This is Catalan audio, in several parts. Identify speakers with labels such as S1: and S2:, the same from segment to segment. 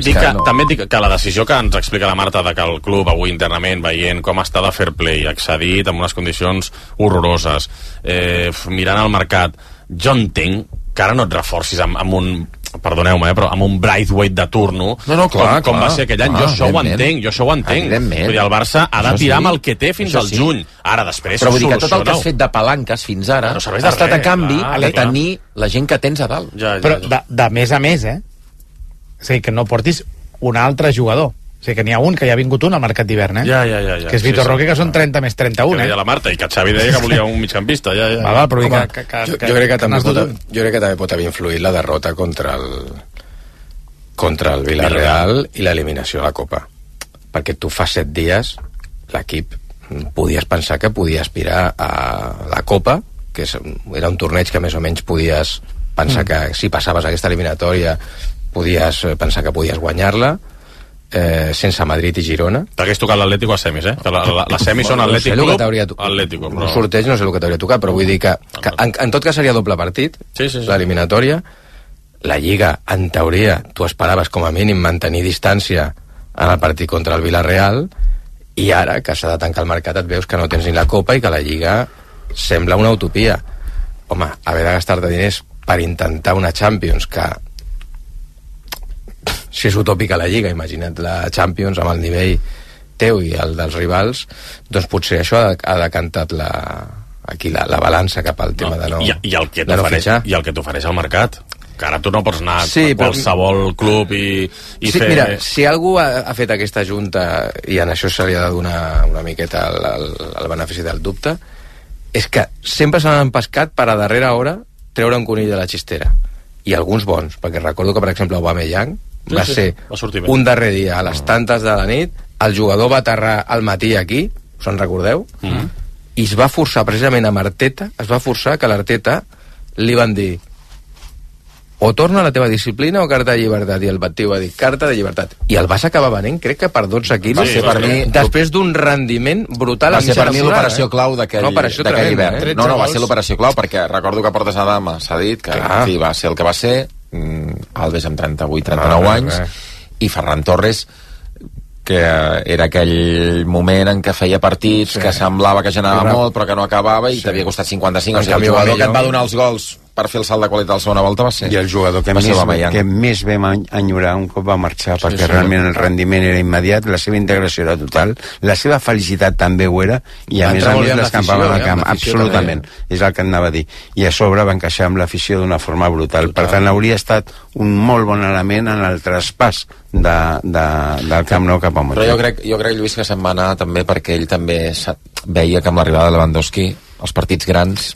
S1: També dic que la decisió que ens explica la Marta de que el club avui internament, veient com està de fair play, accedit amb unes condicions horroroses, mirant el mercat, jo entenc que ara no et reforcis amb un, perdoneu-me, però amb un Braithwaite de turno, com va ser aquell any. Jo això ho entenc. Vull dir, el Barça ha de tirar amb el que té fins al juny. Ara, després,
S2: però vull dir que tot el que has fet de palanques fins ara ha estat a canvi de tenir la gent que tens a dalt.
S3: Però de més a més, o sigui, que no portis un altre jugador. O sigui, que n'hi ha un, que ja ha vingut un al mercat d'hivern, que és Vitor Roque, que són 30 més 31,
S1: que deia la Marta, i que Xavi deia que volia un migcampista.
S4: Però jo crec que també pot haver influït la derrota contra el Villarreal i l'eliminació a la Copa. Perquè tu fa 7 dies l'equip podies pensar que podia aspirar a la Copa, que era un torneig que més o menys podies pensar que si passaves aquesta eliminatòria podies pensar que podies guanyar-la, sense Madrid i Girona.
S1: T'hagués tocat l'Atlético a semis, que les semis són Atlètic Club, Atlético.
S4: Un sorteig no sé el que t'hauria tocat, però vull dir que en tot cas seria doble partit, l'eliminatòria. La Lliga, en teoria, tu esperaves com a mínim mantenir distància en el partit contra el Villarreal, i ara, que s'ha de tancar el mercat, et veus que no tens ni la Copa i que la Lliga sembla una utopia. Home, haver de gastar-te diners per intentar una Champions, que si és utòpica la Lliga, imagina't la Champions amb el nivell teu i el dels rivals, doncs potser això ha decantat la balança cap al tema de no fitxar.
S1: I el que t'ofereix el mercat, que ara tu no pots anar a qualsevol club i fer...
S4: Mira, si algú ha fet aquesta junta, i en això se li ha de donar una miqueta el benefici del dubte, és que sempre se n'han pescat per a darrera hora treure un conill de la xistera, i alguns bons, perquè recordo que per exemple Aubameyang va ser un darrer dia a les tantes de la nit, el jugador va aterrar al matí aquí, us en recordeu? I es va forçar precisament amb Arteta, que l'Arteta li van dir o torna a la teva disciplina o carta de llibertat, i el tio va dir carta de llibertat, i el vas acabar venent crec que per 12 quilos, després d'un rendiment brutal.
S2: Va ser per mi l'operació clau d'aquell hivern. Va ser l'operació clau, perquè recordo que Portes Adama s'ha dit que va ser el que va ser, Alves amb 38-39 anys, i Ferran Torres, que era aquell moment en què feia partits que semblava que generava molt però que no acabava i t'havia costat 55. O sigui, el jugador que et va donar els gols per fer el salt de qualitat a la segona volta va ser...
S5: I el jugador que més vam enyorar un cop va marxar, perquè realment el rendiment era immediat, la seva integració era total, la seva felicitat també ho era, i a més l'escampava al camp, absolutament, és el que anava a dir. I a sobre va encaixar amb l'afició d'una forma brutal. Per tant, hauria estat un molt bon element en el traspàs del Camp Nou cap a Montjuïc.
S2: Però jo crec, Lluís, que se'n va anar també perquè ell també veia que amb l'arribada de Lewandowski els partits grans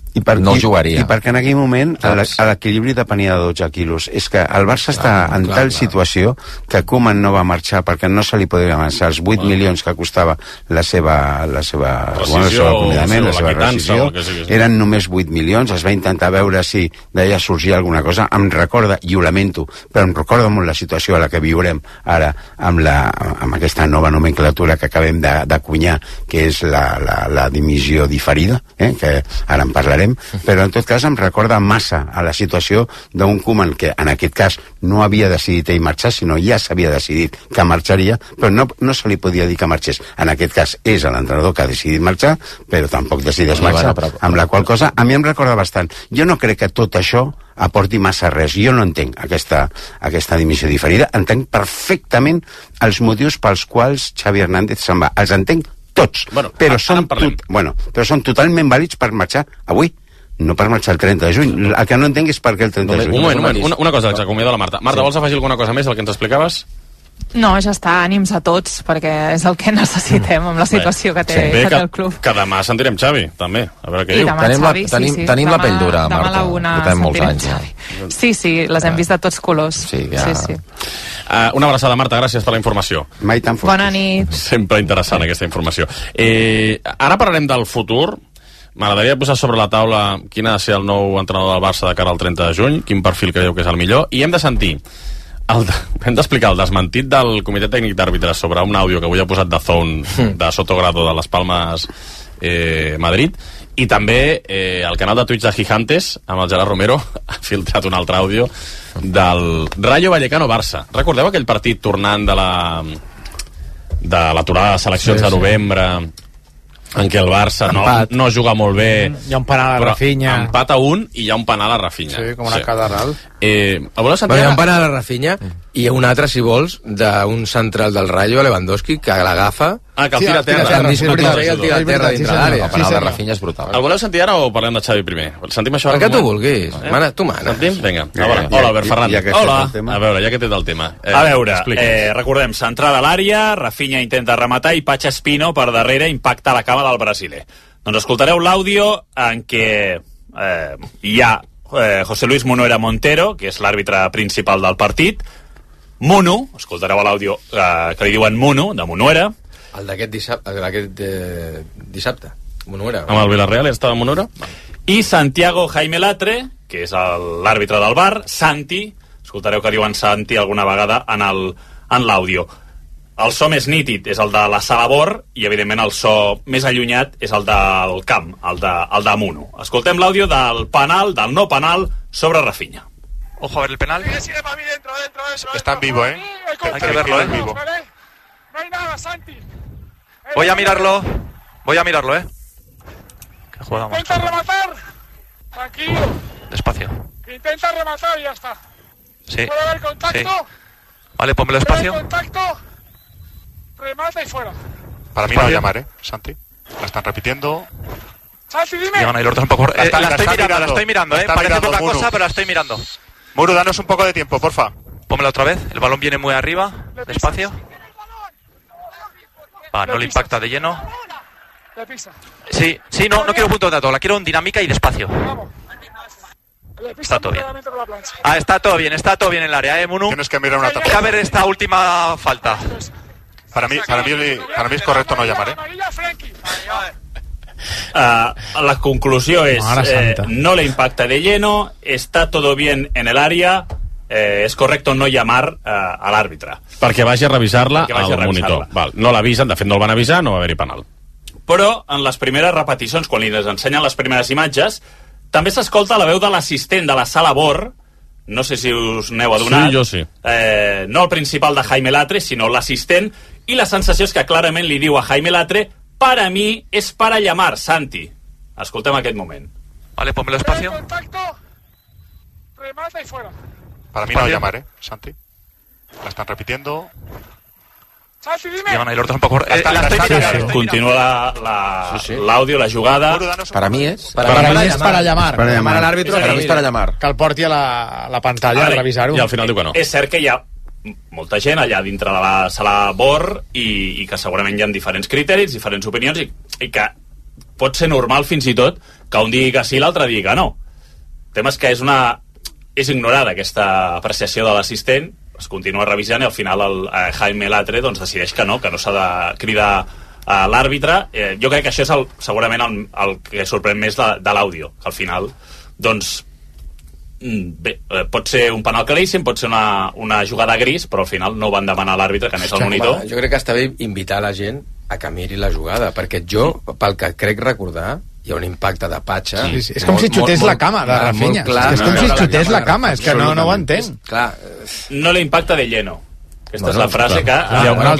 S2: no jugaria.
S5: I perquè en aquell moment l'equilibri depenia de 12 quilos. És que el Barça està en tal situació que Koeman no va marxar perquè no se li podia avançar els 8 milions que costava la seva acomiadament, la seva rescisió, eren només 8 milions. Es va intentar veure si d'allà sorgia alguna cosa. Em recorda, i ho lamento, però em recorda molt la situació a la que viurem ara amb aquesta nova nomenclatura que acabem d'acunyar, que és la dimissió diferida, que ara en parlarem, però en tot cas em recorda massa a la situació d'un Koeman que en aquest cas no havia decidit ell marxar, sinó ja s'havia decidit que marxaria, però no se li podia dir que marxés. En aquest cas és l'entrenador que ha decidit marxar, però tampoc decideix marxar, amb la qual cosa a mi em recorda bastant. Jo no crec que tot això aporti massa res. Jo no entenc aquesta dimissió diferida. Entenc perfectament els motius pels quals Xavi Hernández se'n va. Els entenc tots, però són totalment vàlids per marxar avui, no per marxar el 30 de juny. El que no entenc és per què el 30 de juny.
S1: Un moment, una cosa, que s'acomiada la Marta. Marta, vols afegir alguna cosa més del que ens explicaves?
S6: No, ja està, ànims a tots, perquè és el que necessitem amb la situació que té el club.
S1: Que demà sentirem Xavi, també, a veure què diu.
S2: Tenim la pell dura, Marta, portem molts anys.
S6: Sí, les hem vist de tots colors. Sí.
S1: Una abraçada, Marta, gràcies per la informació.
S5: Mai tan fort.
S6: Bona nit.
S1: Sempre interessant aquesta informació. Ara parlarem del futur. M'agradaria posar sobre la taula quin ha de ser el nou entrenador del Barça de cara al 30 de juny, quin perfil creieu que és el millor, i hem de sentir hem d'explicar el desmentit del Comitè Tècnic d'Àrbitres sobre un àudio que avui ha posat de Zone de Sotogrado de les Palmes Madrid, I també el canal de Twitch de Gigantes, amb el Gerard Romero, ha filtrat un altre àudio del Rayo Vallecano-Barça. Recordeu aquell partit tornant de l'aturada de seleccions de novembre, en què el Barça no juga molt bé,
S3: hi ha un penal a Rafinha,
S1: empat a 1 i hi ha un penal a Rafinha,
S3: com una catedral.
S1: Hi ha
S4: un penal a Rafinha i un altre, si vols, d'un central del Rayo, Lewandowski, que l'agafa,
S1: que el tira a terra,
S4: el tira a terra dintre l'àrea.
S2: El penal de Rafinha és brutal.
S1: El voleu sentir ara o parlem de Xavi primer? Sentim això?
S4: El que tu vulguis, tu mana.
S1: Vinga, hola Albert Ferran. Hola, a veure, ja que tens el tema.
S7: A veure, recordem, centrada a l'àrea, Rafinha intenta rematar i Pacha Espino per darrere impacta la cama del brasiler. Doncs escoltareu l'àudio en què hi ha José Luis Munera Montero, que és l'àrbitre principal del partit, Munu, escoltareu l'àudio que li diuen Munu, de Munuera.
S4: El d'aquest dissabte, Munuera.
S1: Amb el Villarreal estava Munuera.
S7: I Santiago Jaime Latre, que és l'àrbitre del VAR, Santi, escoltareu que diuen Santi alguna vegada en l'àudio. El so més nítid és el de la sala BOR i, evidentment, el so més allunyat és el del camp, el de Munu. Escoltem l'àudio del penal, del no penal, sobre Rafinha.
S8: Ojo a ver el penal. Está en vivo, ¿eh? Hay que verlo, ¿eh? En vivo.
S9: No hay nada, Santi.
S8: Voy a mirarlo, ¿eh? Qué jugada más.
S9: Intenta rematar. Tranquilo.
S8: Despacio.
S9: Intenta rematar y ya está.
S8: Sí.
S9: Puede haber contacto.
S8: Sí. Vale, pónmelo despacio.
S9: Contacto. Remata y fuera.
S8: Para mí no va a llamar, Santi. La están repitiendo.
S9: Santi, dime.
S8: Llegan ahí los dos un poco. La estoy mirando, Parece poca cosa, pero la estoy mirando. Muru, danos un poco de tiempo, porfa. Pónmela otra vez. El balón viene muy arriba. Despacio. No le impacta de lleno. Sí, no quiero punto de dato. La quiero en dinámica y despacio. Está todo bien. Está todo bien en el área, Munu. Tienes que mirar una tapa. A ver esta última falta. Para mí es correcto no llamar,
S7: la conclusió és no le impacta de lleno, está todo bien en el área, és correcto no llamar a l'àrbitre
S1: perquè vagi a revisar-la al monitor. No l'avisen, de fet no el van avisar, no va haver-hi penal.
S7: Però en les primeres repeticions, quan li ensenyen les primeres imatges, també s'escolta la veu de l'assistent de la sala BOR, no sé si us n'heu adonat.
S1: Sí, jo sí.
S7: No el principal de Jaime Latre, sinó l'assistent, i la sensació és que clarament li diu a Jaime Latre: para mí es para llamar, Santi. Escoltem aquest moment.
S8: Vale, pónmelo despacio.
S9: Remata y fuera.
S8: Para mí no va a llamar, Santi. La están repitiendo.
S9: Santi, dime.
S8: Llegan ahí los dos un poco. La estoy mirando.
S7: Continua l'àudio, la jugada.
S2: Para mí es
S3: para llamar.
S2: Para llamar a l'àrbitre. És para llamar.
S3: Que el porti a la pantalla a revisar-ho.
S1: I al final diu que no.
S7: És cert que hi ha molta gent allà dintre de la sala BOR i que segurament hi ha diferents criteris, diferents opinions i que pot ser normal fins i tot que un digui que sí i l'altre digui que no. El tema és que és ignorada aquesta apreciació de l'assistent, es continua revisant i al final el Jaime Latre doncs, decideix que no s'ha de cridar a l'àrbitre. Jo crec que això és segurament el que sorprèn més de l'àudio, que al final doncs bé, pot ser un penal claríssim, pot ser una jugada gris, però al final no van demanar a l'àrbitre que anés al monitor.
S4: Jo crec que està bé invitar la gent a que miri la jugada, perquè jo, pel que crec recordar, hi ha un impacte de Pacha.
S3: Sí. És com si xutés la cama de Rafinha. És com si xutés la cama, és que no ho entenc.
S7: No le impacta de lleno. Aquesta és la frase que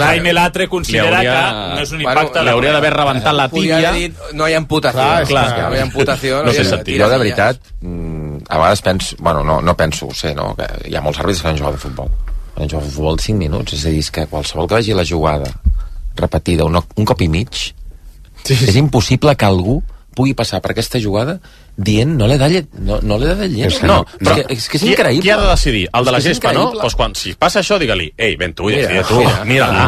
S7: Jaime Latre considera que no és un impacte.
S1: L'hauria d'haver rebentat la tíbia.
S4: No hi ha imputació. No hi ha imputació.
S2: No sé sentir. Jo, de veritat, a vegades penso... Bueno, no penso, ho sé, no? Que hi ha molts àrbitres que han jugat de futbol. Han jugat de futbol 5 minuts. És a dir, que qualsevol que vegi la jugada repetida un cop i mig, és impossible que algú pugui passar per aquesta jugada dient no le da lleno. No, però és que és increïble.
S1: Qui ha de decidir? El de la gespa, no? Doncs quan si passa això, digue-li: ei, ven tu, mira-la.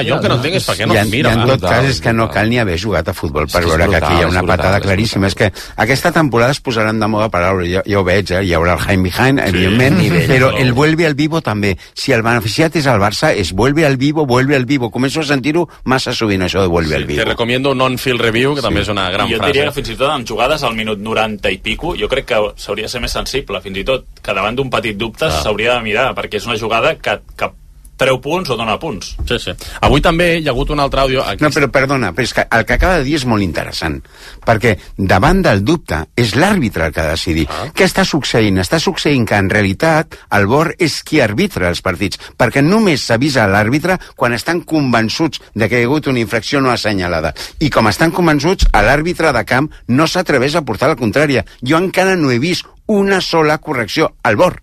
S1: Jo el que no entenc és per què no mira.
S5: En tot cas és que no cal ni haver jugat a futbol per veure que aquí hi ha una patada claríssima. És que aquesta temporada es posaran de moda paraules, ja ho veig, hi haurà el Jaime Behind, evidentment, però el vuelve al vivo també. Si el beneficiat és el Barça, és vuelve al vivo. Començo a sentir-ho massa sovint, això de vuelve al vivo.
S1: Te recomiendo un on-field review, que també és una gran frase.
S7: Jo diria que fins i tot en jugades al minut 90 i pico, jo crec que s'hauria de ser més sensible, fins i tot que davant d'un petit dubte s'hauria de mirar, perquè és una jugada que treu punts o dona punts.
S1: Sí. Avui també hi ha hagut un altre àudio...
S5: No, però perdona, però és que el que acaba de dir és molt interessant, perquè davant del dubte és l'àrbitre el que ha de decidir. Què està succeint? Està succeint que en realitat el VAR és qui arbitra els partits, perquè només s'avisa a l'àrbitre quan estan convençuts de que hi ha hagut una infracció no assenyalada. I com estan convençuts, l'àrbitre de camp no s'atreveix a portar la contrària. Jo encara no he vist una sola correcció al VAR.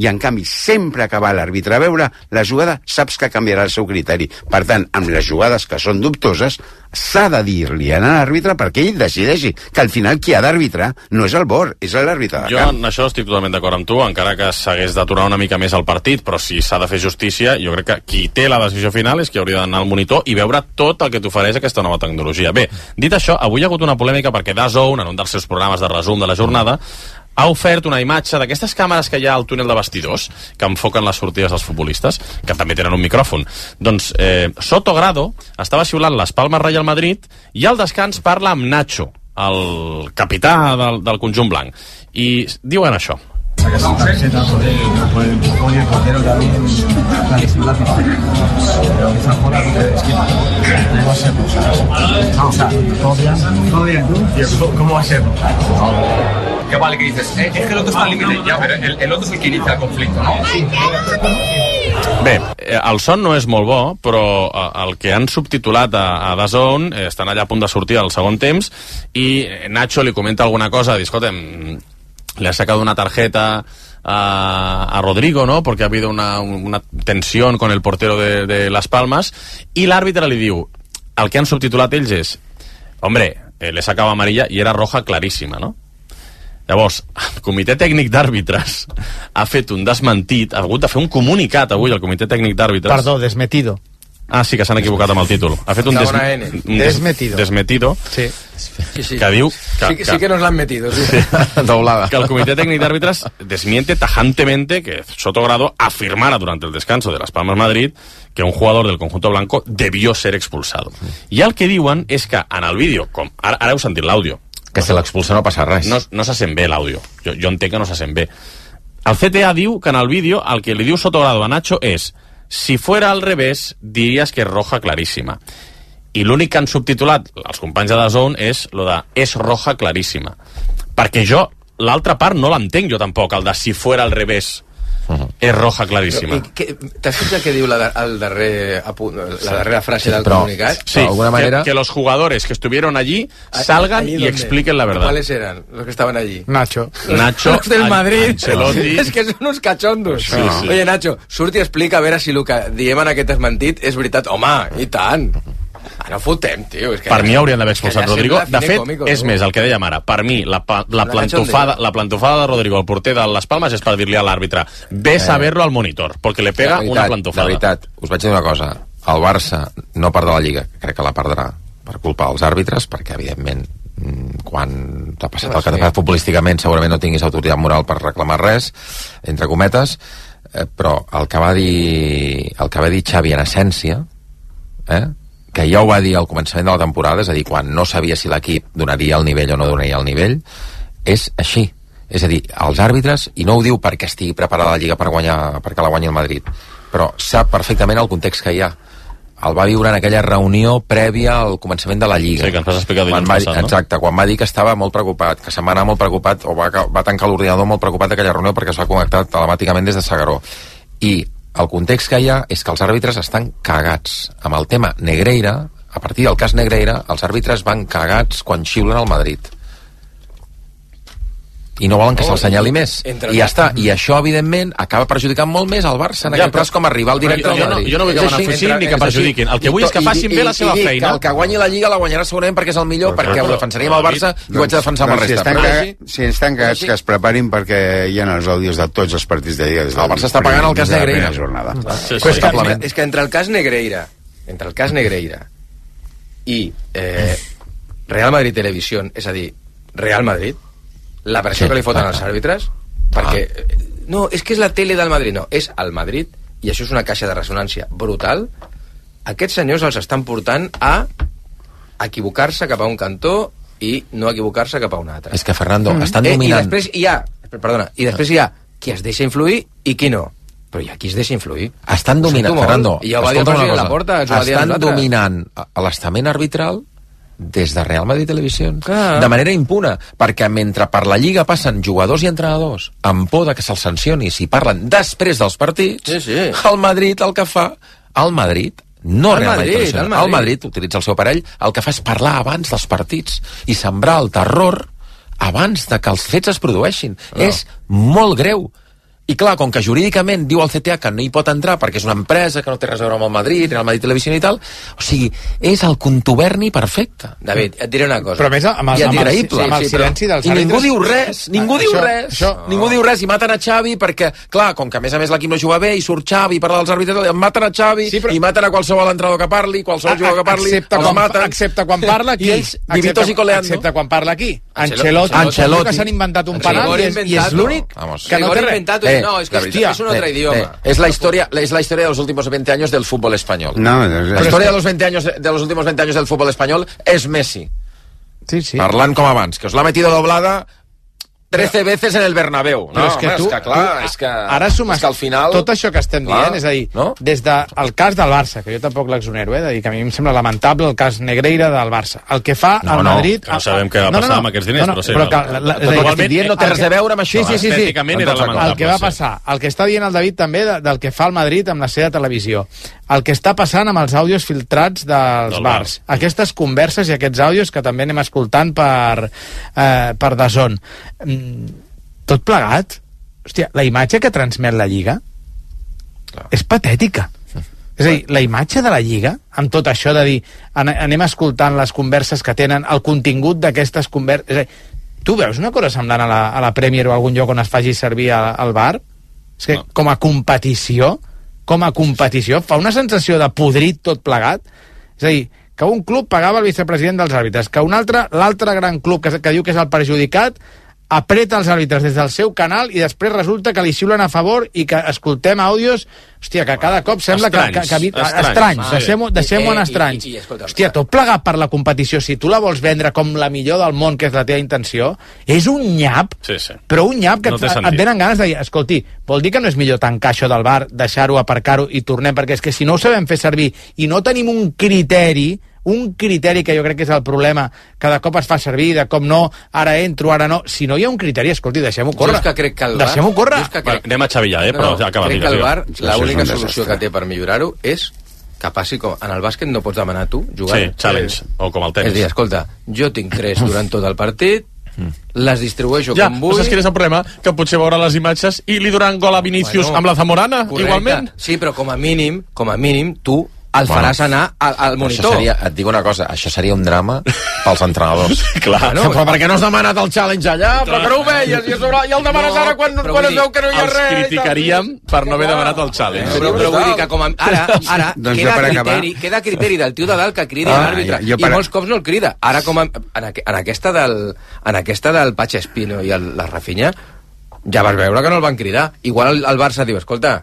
S5: I en canvi, sempre que va l'àrbitre a veure la jugada, saps que canviarà el seu criteri. Per tant, amb les jugades que són dubtoses, s'ha de dir-li a l'àrbitre perquè ell decideixi que al final qui ha d'arbitrar no és el VAR, és l'àrbitre de camp.
S1: Jo en això estic totalment d'acord amb tu, encara que s'hagués d'aturar una mica més el partit, però si s'ha de fer justícia, jo crec que qui té la decisió final és qui hauria d'anar al monitor i veure tot el que t'ofereix aquesta nova tecnologia. Bé, dit això, avui hi ha hagut una polèmica perquè DAZN, en un dels seus programes de resum de la jornada, ha ofert una imatge d'aquestes càmeres que hi ha al túnel de vestidors, que enfoquen les sortides dels futbolistes, que també tenen un micròfon. Doncs Soto Grado estava xiulant les Palmes Real Madrid i al descans parla amb Nacho, el capità del conjunt blanc. I diuen això.
S10: Esa tarjeta por el empujón y el portero también clarísimo la pista. Pero esa joda es que no va a ser no, o sea, todo bien. ¿Cómo va a ser?
S11: Que vale que dices, es que el otro está al límite ya, pero el otro es el que inicia el conflicto, ¿no?
S1: Bé, el son no és molt bo, però el que han subtitulat a DAZN estan allà a punt de sortir al segon temps i Nacho li comenta alguna cosa, diu, escolta'm, le ha sacado una tarjeta a Rodrigo, ¿no? Porque ha habido una tensión con el portero de Las Palmas, y l'àrbitre li diu, el que han subtitulat ells és, hombre, le sacava amarilla i era roja claríssima, no? Llavors, el comitè tècnic d'àrbitres ha fet un desmentit, ha hagut de fer un comunicat avui al comitè tècnic d'àrbitres.
S3: Perdó, desmetido.
S1: Ah, sí, que s'han equivocat amb el títol. Ha fet un desmetido.
S3: Sí.
S1: Que diu...
S4: Sí que nos l'han metido. Sí.
S1: Doblada. Que el comitè tècnic d'àrbitres desmiente tajantemente que Soto Grado afirmara durante el descanso de Las Palmas Madrid que un jugador del conjunto blanco debió ser expulsado. I el que diuen és que en el vídeo, com ara heu sentit l'àudio,
S2: que si l'expulsa no passa res.
S1: No se sent bé l'àudio. Jo entenc que no se sent bé. El CTA diu que en el vídeo el que li diu Soto Grado a Nacho és: si fuera al revés, diries que és roja claríssima. I l'únic que han subtitulat els companys de DAZN és lo de és roja claríssima. Perquè jo, l'altra part no l'entenc jo tampoc, el de si fuera al revés és roja claríssima.
S4: T'has fixat què diu la darrera frase del comunicat?
S1: Sí, que los jugadores que estuvieron allí salgan y expliquen la verdad.
S4: ¿Cuáles eran los que estaban allí?
S3: Nacho,
S4: los del Madrid.
S1: Ancelotti.
S4: És que són uns cachondos.
S1: Sí.
S4: Oye, Nacho, surt i explica a veure si el que diem en aquest desmentit és veritat. Home, i tant. No fotem, tio. És que
S1: per mi haurien d'haver expulsat Rodrigo. De fet, còmico, és més, el que dèiem ara. Per mi, la plantofada de Rodrigo al porter de Les Palmes és per dir-li a l'àrbitre ves a verlo al monitor, perquè le pega una plantofada.
S2: De veritat, us vaig dir una cosa. El Barça no perdrà la Lliga, crec que la perdrà per culpa dels àrbitres, perquè, evidentment, quan t'ha passat el que t'ha passat futbolísticament segurament no tinguis autoritat moral per reclamar res, entre cometes, però el que va dir Xavi en essència, que ja ho va dir al començament de la temporada, és a dir, quan no sabia si l'equip donaria el nivell o no donaria el nivell, és així. És a dir, els àrbitres, i no ho diu perquè estigui preparada la Lliga perquè la guanyi el Madrid, però sap perfectament el context que hi ha. El va viure en aquella reunió prèvia al començament de la Lliga.
S1: Sí, que ens vas explicar dilluns passat, no?
S2: Exacte, quan va dir que estava molt preocupat, que se'n va anar molt preocupat, o va tancar l'ordinador molt preocupat d'aquella reunió perquè es va connectar telemàticament des de S'Agaró. I el context que hi ha és que els àrbitres estan cagats. Amb el tema Negreira, a partir del cas Negreira, els àrbitres van cagats quan xiulen al Madrid. I no volen que se'l senyali més. I ja està. I això, evidentment, acaba perjudicant molt més el Barça, en aquest cas, com a rival directe del Madrid.
S1: Jo no vull que beneficin ni que perjudiquin. El que vull és que facin bé la seva feina.
S2: Que el que guanyi la Lliga la guanyarà segurament perquè és el millor, perquè ho defensaríem al Barça i ho haig de defensar amb el resta.
S5: Si estan cagats, que es preparin perquè hi ha els àudios de tots els partits de Lliga.
S2: El Barça està pagant el cas Negreira.
S4: És que entre el cas Negreira i Real Madrid Televisió, és a dir, Real Madrid, la pressió que li foten als àrbitres, perquè no, és que és la tele del Madrid, no, és el Madrid, i això és una caixa de ressonància brutal. Aquests senyors els estan portant a equivocar-se cap a un cantó i no equivocar-se cap a un altre.
S2: És que, Fernando, estan dominant.
S4: I després hi ha qui es deixa influir i qui no. Però hi ha qui es deixa influir.
S2: Estan dominant, Fernando,
S4: i ja ho va dir el president Laporta,
S2: estan dominant l'estament arbitral des de Real Madrid Televisió de manera impuna, perquè mentre per la Lliga passen jugadors i entrenadors amb por de que se'ls sancioni si parlen després dels partits, el Madrid el que fa, el Madrid no Real Madrid Televisió, el Madrid utilitza el seu aparell, el que fa és parlar abans dels partits i sembrar el terror abans de que els fets es produeixin. És molt greu. I clar, com que jurídicament diu el CTA que no hi pot entrar perquè és una empresa que no té res a veure amb el Madrid, ni el Madrid Televisió i tal, o sigui, és el contuberni perfecte.
S4: David, et diré una cosa.
S3: Però més amb el silenci dels àrbitres...
S2: I ningú diu res, ningú diu res, i maten a Xavi perquè, clar, com que a més l'equip no juga bé i surt Xavi i parla dels àrbitres, maten a Xavi i maten a qualsevol entrenador que parli, qualsevol jugador que parli, els maten.
S3: Excepte quan parla aquí. Excepte quan parla aquí. Ancelotti, que s'han inventat un penal i és l'únic que no té res.
S4: No, es que es un otro idioma.
S2: Es la historia de los últimos 20 años del fútbol español. La historia de los últimos 20 años del fútbol español es Messi.
S3: Sí.
S2: Parlant com abans, que os la ha metido doblada 13 veces en el Bernabéu. No,
S3: és que ara sumes
S2: al final...
S3: tot això que estem dient, és a dir, des del cas del Barça, que jo tampoc l'exonero, de dir que a mi em sembla lamentable el cas Negreira del Barça. El que fa el Madrid...
S1: No sabem què va passar amb aquests diners, però sí.
S2: Però el que estic dient no té res a veure amb això.
S3: Sí. El que va passar, el que està dient el David també del que fa el Madrid amb la seva televisió, el que està passant amb els àudios filtrats dels bars, aquestes converses i aquests àudios que també anem escoltant per DAZN. Tot plegat, hòstia, la imatge que transmet la Lliga és patètica. És a dir, la imatge de la Lliga, amb tot això de dir anem escoltant les converses que tenen, el contingut d'aquestes converses... És a dir, tu veus una cosa semblant a la Premier o a algun lloc on es faci servir el VAR? És que com a competició fa una sensació de podrit tot plegat. És a dir, que un club pagava el vicepresident dels àrbitres, que l'altre gran club que diu que és el perjudicat apreta els àrbitres des del seu canal i després resulta que li xiulen a favor i que escoltem àudios, hòstia, que cada cop sembla estranys. Deixem-ho en estranys. Hòstia, tot plegat per la competició, si tu la vols vendre com la millor del món, que és la teva intenció, és un nyap, però un nyap que et venen ganes de dir, escolti, vol dir que no és millor tancar això del bar, deixar-ho, aparcar-ho i tornem, perquè és que si no ho sabem fer servir i no tenim un criteri que jo crec que és el problema, cada cop es fa servir de com no, ara entro, ara no. Si no hi ha un criteri, escolti, deixem-ho córrer. Deixem-ho córrer.
S1: Anem a Xavi ja, però acaba.
S4: Crec que el VAR, l'única solució que té per millorar-ho és que passi com... En el bàsquet no pots demanar tu, jugant.
S1: Sí, challenge, o com el tenis.
S4: És a dir, escolta, jo tinc 3 durant tot el partit, les distribueixo com vull...
S1: Ja, saps quin és el problema? Que potser veurà les imatges i li donaran gol a Vinícius amb la Zamorana, igualment.
S4: Sí, però com a mínim, tu el faràs anar al monitor.
S2: Et dic una cosa, això seria un drama pels entrenadors.
S1: Clar.
S2: Però per què no has demanat el challenge allà? Però que no ho veies i el demanes ara quan es veu que no hi ha res.
S1: Els criticaríem per no haver demanat el challenge.
S4: Però vull dir que com a... Ara queda criteri del tio de dalt que cridi l'àrbitre. I molts cops no el crida. Ara com en aquesta del Pache Espino i la Rafinha ja vas veure que no el van cridar. Igual el Barça diu, escolta,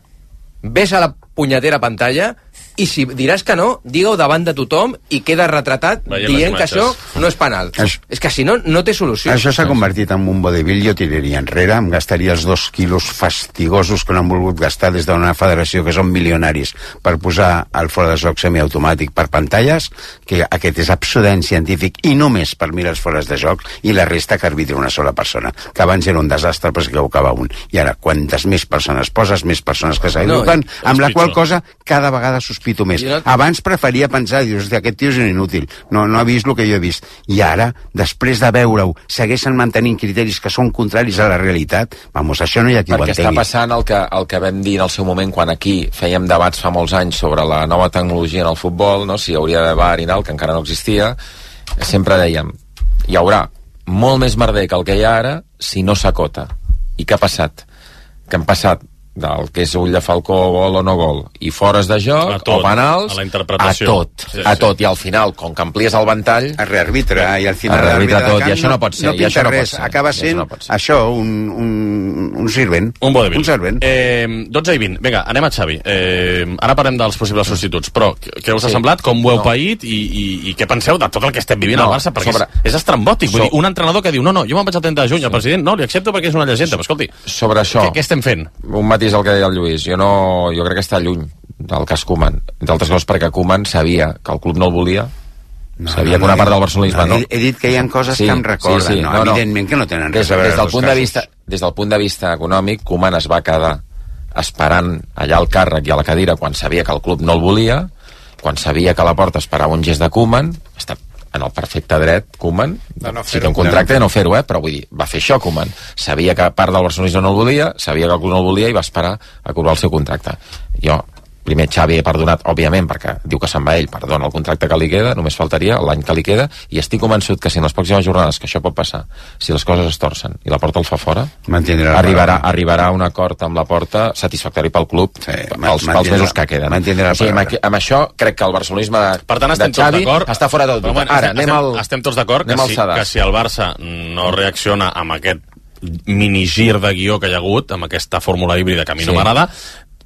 S4: ves a la punyetera pantalla i si diràs que no, digue-ho davant de tothom i queda retratat dient que això no és penal. És que si no, no té solució.
S5: Això s'ha convertit en un vodevil, jo tiraria enrere, em gastaria els 2 quilos fastigosos que no han volgut gastar des d'una federació que són milionaris per posar el fora de joc semiautomàtic per pantalles, que aquest és absolutament científic i només per mirar els fores de joc i la resta que arbitra una sola persona, que abans era un desastre però que ho acaba un. I ara, quantes més persones poses, més persones que s'agrupen, amb la qual cosa cada vegada sospito més. Abans preferia pensar, dius, aquest tio és un inútil, no ha vist el que jo he vist. I ara, després de veure-ho, segueixen mantenint criteris que són contraris a la realitat. Vamos, això no hi ha qui ho entengui.
S2: Perquè està passant el que vam dir en el seu moment quan aquí fèiem debats fa molts anys sobre la nova tecnologia en el futbol, no? Si hi hauria de VAR i tal, que encara no existia, sempre dèiem, hi haurà molt més merder que el que hi ha ara si no s'acota. I què ha passat? Que han passat del que és ull de falcó, gol o no gol, i fores de joc, o penals, a tot. I al final, com que amplies el ventall,
S5: es rearbitra, i al final
S2: rearbitra tot, i això no pot ser.
S5: No pinta res, acaba sent això, un servent.
S1: Un vodevil.
S5: Un servent.
S1: 12 i 20, vinga, anem a Xavi. Ara parlem dels possibles substituts, però què us ha semblat, com ho heu paït, i què penseu de tot el que estem vivint al Barça? Perquè és estrambòtic, vull dir, un entrenador que diu, no, jo me'n vaig al 30 de juny, el president, no, li accepto perquè és una llegenda, però escolti,
S2: sobre això,
S1: què estem fent?
S2: Un matís és el que deia el Lluís, jo crec que està lluny del cas Koeman, entre altres coses perquè Koeman sabia que el club no el volia, sabia que una part del barcelonisme no.
S5: He dit que hi ha coses que em recorden, evidentment que no tenen res a veure els dos casos.
S2: Des del punt de vista econòmic, Koeman es va quedar esperant allà al càrrec i a la cadira quan sabia que el club no el volia, quan sabia que a la porta esperava un gest de Koeman, està en el perfecte dret, Koeman, si té un contracte de no fer-ho, però vull dir, va fer això Koeman, sabia que part del barcelonisme no el volia, sabia que el club no el volia i va esperar a cobrar el seu contracte. Jo, primer Xavi he perdonat, òbviament, perquè diu que se'n va ell, perdona el contracte que li queda, només faltaria l'any que li queda, i estic convençut que si en les pròximes jornades, que això pot passar, si les coses es torcen i la porta el fa fora, arribarà a un acord amb la porta satisfactori pel club pels mesos que queden. Amb això crec que el barcelonisme de Xavi està fora del dubte. Ara,
S1: estem tots d'acord que si el Barça no reacciona amb aquest minigir de guió que hi ha hagut, amb aquesta fórmula híbrida que a mi no m'agrada,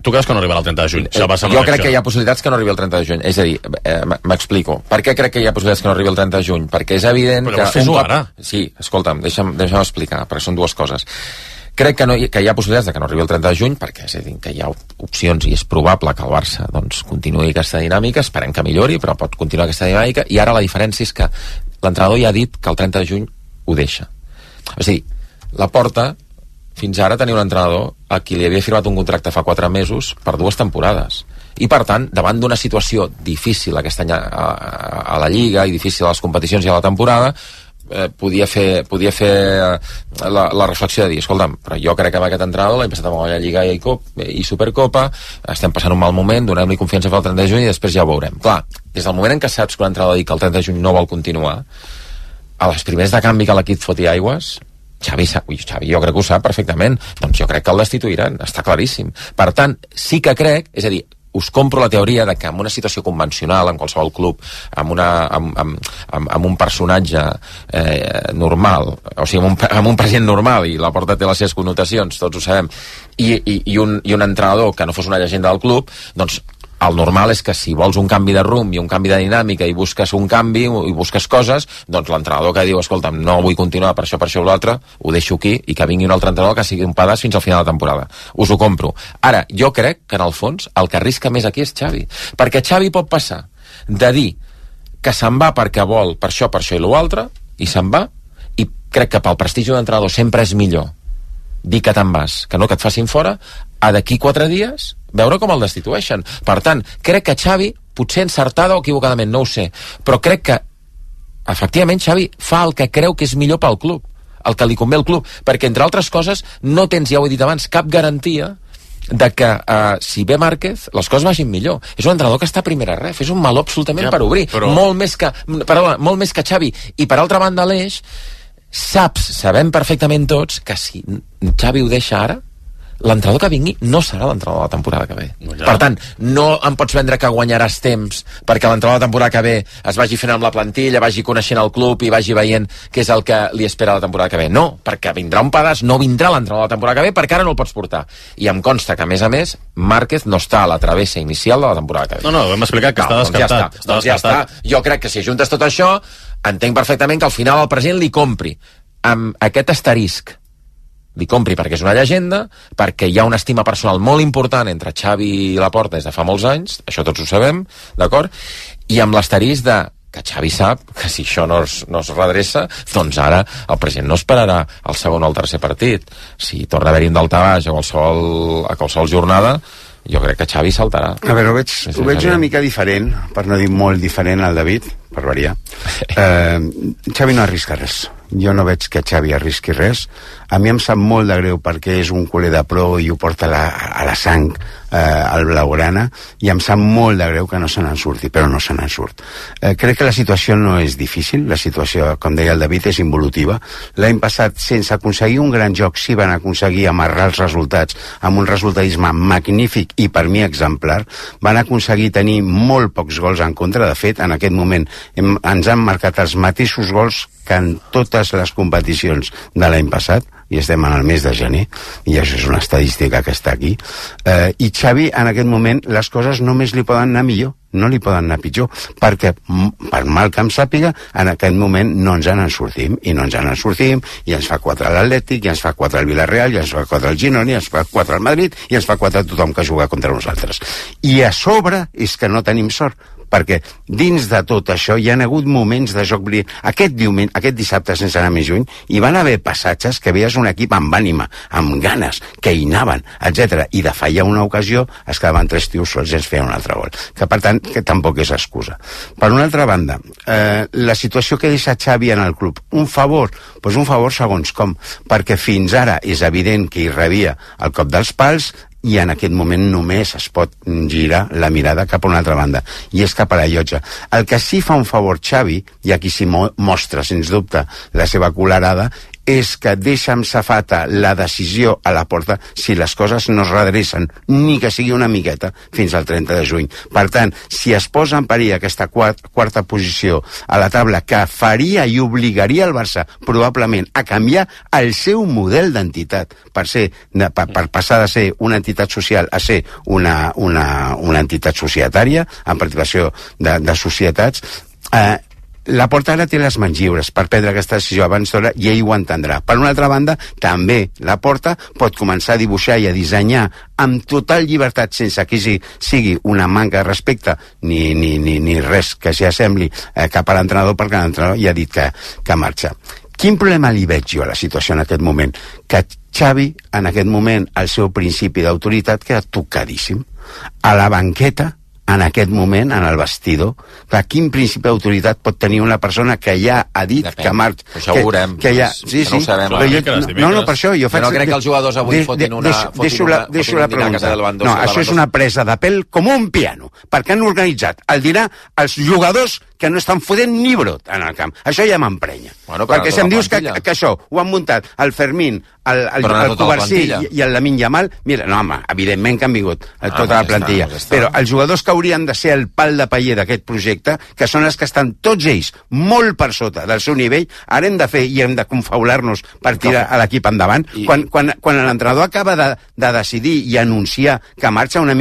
S1: tu creus que no arribarà el 30 de juny?
S2: Jo crec que hi ha possibilitats que no arribi el 30 de juny. És a dir, m'explico. Per què crec que hi ha possibilitats que no arribi el 30 de juny? Perquè és evident que...
S1: Però fes-ho ara.
S2: Sí, escolta'm, deixa'm explicar, perquè són dues coses. Crec que hi ha possibilitats de que no arribi el 30 de juny, perquè és a dir, que hi ha opcions i és probable que el Barça continuï aquesta dinàmica, esperem que millori, però pot continuar aquesta dinàmica, i ara la diferència és que l'entrenador ja ha dit que el 30 de juny ho deixa. És a dir, la Porta fins ara tenia un entrenador a qui li havia firmat un contracte fa 4 mesos per 2 temporades. I, per tant, davant d'una situació difícil aquest any a la Lliga i difícil a les competicions i a la temporada, podia fer la reflexió de dir, escolta'm, però jo crec que amb aquest entrenador l'hem passat amb la Lliga i Supercopa, estem passant un mal moment, donem-li confiança per al 30 de juny i després ja ho veurem. Clar, des del moment en què saps que l'entrenador diu que el 30 de juny no vol continuar, a les primers de canvi que l'equip foti aigües, Xavi jo crec que ho sap perfectament, doncs jo crec que el destituiran, està claríssim. Per tant, sí que crec, és a dir, us compro la teoria de que en una situació convencional, en qualsevol club, amb un personatge normal, o sigui, amb un president normal, i la Porta té les seves connotacions, tots ho sabem, i un entrenador que no fos una llegenda del club, doncs el normal és que si vols un canvi de rumb i un canvi de dinàmica i busques un canvi i busques coses, doncs l'entrenador que diu, escolta'm, no vull continuar per això o l'altre, ho deixo aquí i que vingui un altre entrenador que sigui un pedaç fins al final de la temporada. Us ho compro. Ara, jo crec que en el fons el que arrisca més aquí és Xavi, perquè Xavi pot passar de dir que se'n va perquè vol per això i l'altre, i se'n va, i crec que pel prestigi d'un entrenador sempre és millor dir que te'n vas, que no que et facin fora, a d'aquí 4 dies veure com el destitueixen. Per tant, crec que Xavi, potser encertada o equivocadament, no ho sé, però crec que efectivament Xavi fa el que creu que és millor pel club, el que li convé al club, perquè entre altres coses no tens, ja ho he dit abans, cap garantia de que si ve Márquez les coses vagin millor. És un entrenador que està a primera ref, és un meló absolutament per obrir, molt més que Xavi. I per altra banda l'Eix, sabem perfectament tots que si Xavi ho deixa ara, l'entrenador que vingui no serà l'entrenador de la temporada que ve. Per tant, no em pots vendre que guanyaràs temps perquè l'entrenador de la temporada que ve es vagi fent amb la plantilla, vagi coneixent el club i vagi veient què és el que li espera la temporada que ve. No, perquè vindrà un pedaç, no vindrà l'entrenador de la temporada que ve perquè ara no el pots portar. I em consta que, a més, Márquez no està a la travessa inicial de la temporada que ve.
S1: No, hem explicat que està descartat.
S2: Doncs ja està. Jo crec que si ajuntes tot això, entenc perfectament que al final el president li compri amb aquest asterisc, li compri perquè és una llegenda, perquè hi ha una estima personal molt important entre Xavi i Laporta des de fa molts anys, això tots ho sabem, d'acord? I amb l'asterisc de que Xavi sap que si això no es redreça, doncs ara el president no esperarà el segon o el tercer partit. Si torna a haver-hi un daltabaix a qualsevol jornada, jo crec que Xavi saltarà.
S5: A veure, ho veig una mica diferent, per no dir molt diferent al David, per variar. Xavi no arrisca res. Jo no veig que Xavi arrisqui res. A mi em sap molt de greu perquè és un culer de pro i ho porta a la sang al blaugrana, i em sap molt de greu que no se n'en surti, però no se n'en surt. Crec que la situació no és difícil, la situació, com deia el David, és involutiva. L'any passat, sense aconseguir un gran joc, sí van aconseguir amarrar els resultats amb un resultadisme magnífic i per mi exemplar. Van aconseguir tenir molt pocs gols en contra. De fet, en aquest moment ens han marcat els mateixos gols que en totes les competicions de l'any passat, i estem en el mes de gener, i això és una estadística que està aquí. I Xavi, en aquest moment, les coses només li poden anar millor. no li poden anar pitjor, perquè per mal que em sàpiga, en aquest moment no ens en sortim, i no ens en sortim, i ens fa 4 l'Atlètic, i ens fa 4 el Villarreal, i ens fa 4 el Girona, i ens fa 4 el Madrid, i ens fa 4 tothom que juga contra nosaltres. I a sobre és que no tenim sort, perquè dins de tot això hi ha hagut moments de joc brillant. Aquest dissabte, sense anar més lluny, hi van haver passatges que veies un equip amb ànima, amb ganes, que hi anaven, etc. I de fallar una ocasió es quedaven 3 tios sols i ens feien un altre gol. Que per tant, que tampoc és excusa. Per una altra banda, la situació que deixa Xavi en el club, un favor? Doncs un favor segons com, perquè fins ara és evident que hi rebia el cop dels pals, i en aquest moment només es pot girar la mirada cap a una altra banda, i és cap a la llotja. El que sí fa un favor Xavi, i aquí sí mostra, sens dubte, la seva colerada, és que deixa amb safata la decisió a la porta si les coses no es redrecen, ni que sigui una miqueta, fins al 30 de juny. Per tant, si es posa en perill aquesta quarta posició a la taula, que faria i obligaria el Barça probablement a canviar el seu model d'entitat per passar de ser una entitat social a ser una entitat societària, en participació de societats, la Porta ara té les mans lliures per prendre aquesta decisió abans d'hora, i ell ho entendrà. Per una altra banda, també la Porta pot començar a dibuixar i a dissenyar amb total llibertat, sense que sigui una manca de respecte ni res que s'hi assembli cap a l'entrenador, perquè l'entrenador ja ha dit que marxa. Quin problema li veig jo a la situació en aquest moment? Que Xavi, en aquest moment, el seu principi d'autoritat queda tocadíssim. A la banqueta, en aquest moment, en el vestidor, quin principi d'autoritat pot tenir una persona que ja ha dit que marxa?
S2: Això ho veurem,
S5: que no
S2: ho sabem.
S5: No, per això jo faig...
S2: Jo no crec que els jugadors avui fotin un dinar a casa del Lewandowski.
S5: No, això és una presa de pèl com un piano, perquè han organitzat el dinar els jugadors que no estan fotent ni brot en el camp. Això ja m'emprenya. Perquè si em dius que això ho han muntat el Fermín, el Covarsí i el Lamine Yamal, mira, no, home, evidentment que han vingut tota la plantilla, però els jugadors que haurien de ser el pal de paller d'aquest projecte, que són els que estan tots ells molt per sota del seu nivell, ara hem de fer i hem de confaular-nos per tirar a l'equip endavant. Quan l'entrenador acaba de decidir i anunciar que marxa una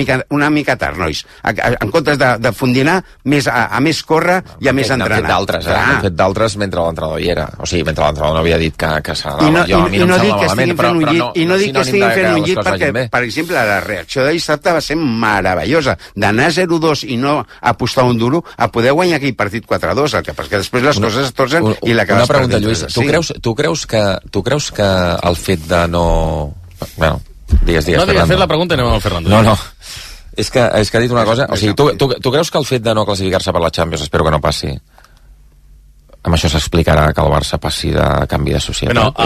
S5: mica tard, nois, en comptes de fondinar a més córrer i a més entrenar.
S2: N'han fet d'altres mentre l'entrenador hi era. O sigui, mentre l'entrenador no havia dit que s'anava.
S5: I no dic que estiguin fent un llit, i no dic que estiguin fent un llit perquè, per exemple, la reacció de dissabte va ser meravellosa. D'anar 0-2 i no apostar un duro, a poder guanyar aquell partit 4-2, perquè després les coses es torcen i l'acabes perdent.
S2: Una pregunta, Lluís. Tu creus que el fet de no... Bueno, digues,
S1: Fernando. No, digues, fet la pregunta i anem al Fernando.
S2: No. És que ha dit una cosa... O sigui, tu creus que el fet de no classificar-se per la Champions, espero que no passi, amb això s'explicarà que el Barça passi de canvi de societat?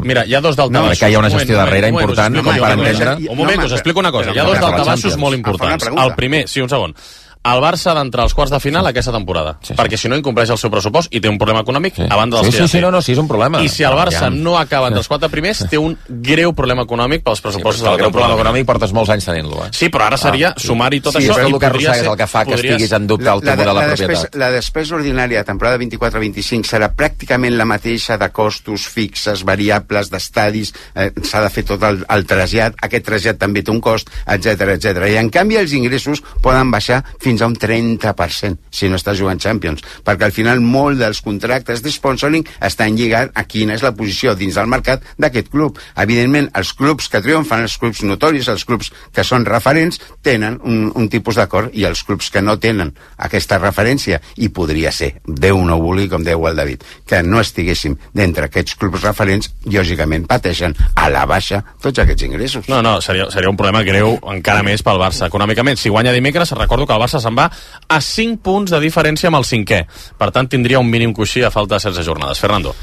S1: Mira, hi ha dos daltabassos.
S2: Que hi ha una gestió darrere important per entendre...
S1: Un moment, us explico una cosa. Hi ha dos daltabassos molt importants. El primer, sí, un segon. El Barça ha d'entrar als quarts de final aquesta temporada, perquè si no incompleix el seu pressupost i té un problema econòmic a banda dels que ja té.
S2: Sí, és un problema.
S1: I si el Barça no acaba entre els 4 primers, té un greu problema econòmic pels pressupostos de la temporada.
S2: El greu problema econòmic portes molts anys tenint-lo.
S1: Sí, però ara seria sumar-hi tot això
S2: i podria ser... el que fa que estiguis en dubte el teu model de propietat.
S5: La despesa ordinària de temporada 24-25 serà pràcticament la mateixa de costos fixes, variables, d'estadis, s'ha de fer tot el trasllat, aquest trasllat també té un cost, etc. I en canvi els ingressos poden baixar fins a un 30%, si no estàs jugant Champions, perquè al final molt dels contractes de sponsoring estan lligats a quina és la posició dins del mercat d'aquest club. Evidentment, els clubs que triomfen, els clubs notoris, els clubs que són referents, tenen un tipus d'acord, i els clubs que no tenen aquesta referència, i podria ser, Déu no vulgui, com diu el David, que no estiguéssim d'entre aquests clubs referents, lògicament pateixen a la baixa tots aquests ingressos.
S1: No, seria un problema greu encara més pel Barça econòmicament. Si guanya dimecres, recordo que el Barça se'n va a 5 punts de diferència amb el 5è. Per tant, tindria un mínim coixí a falta de 16 jornades. Fernando.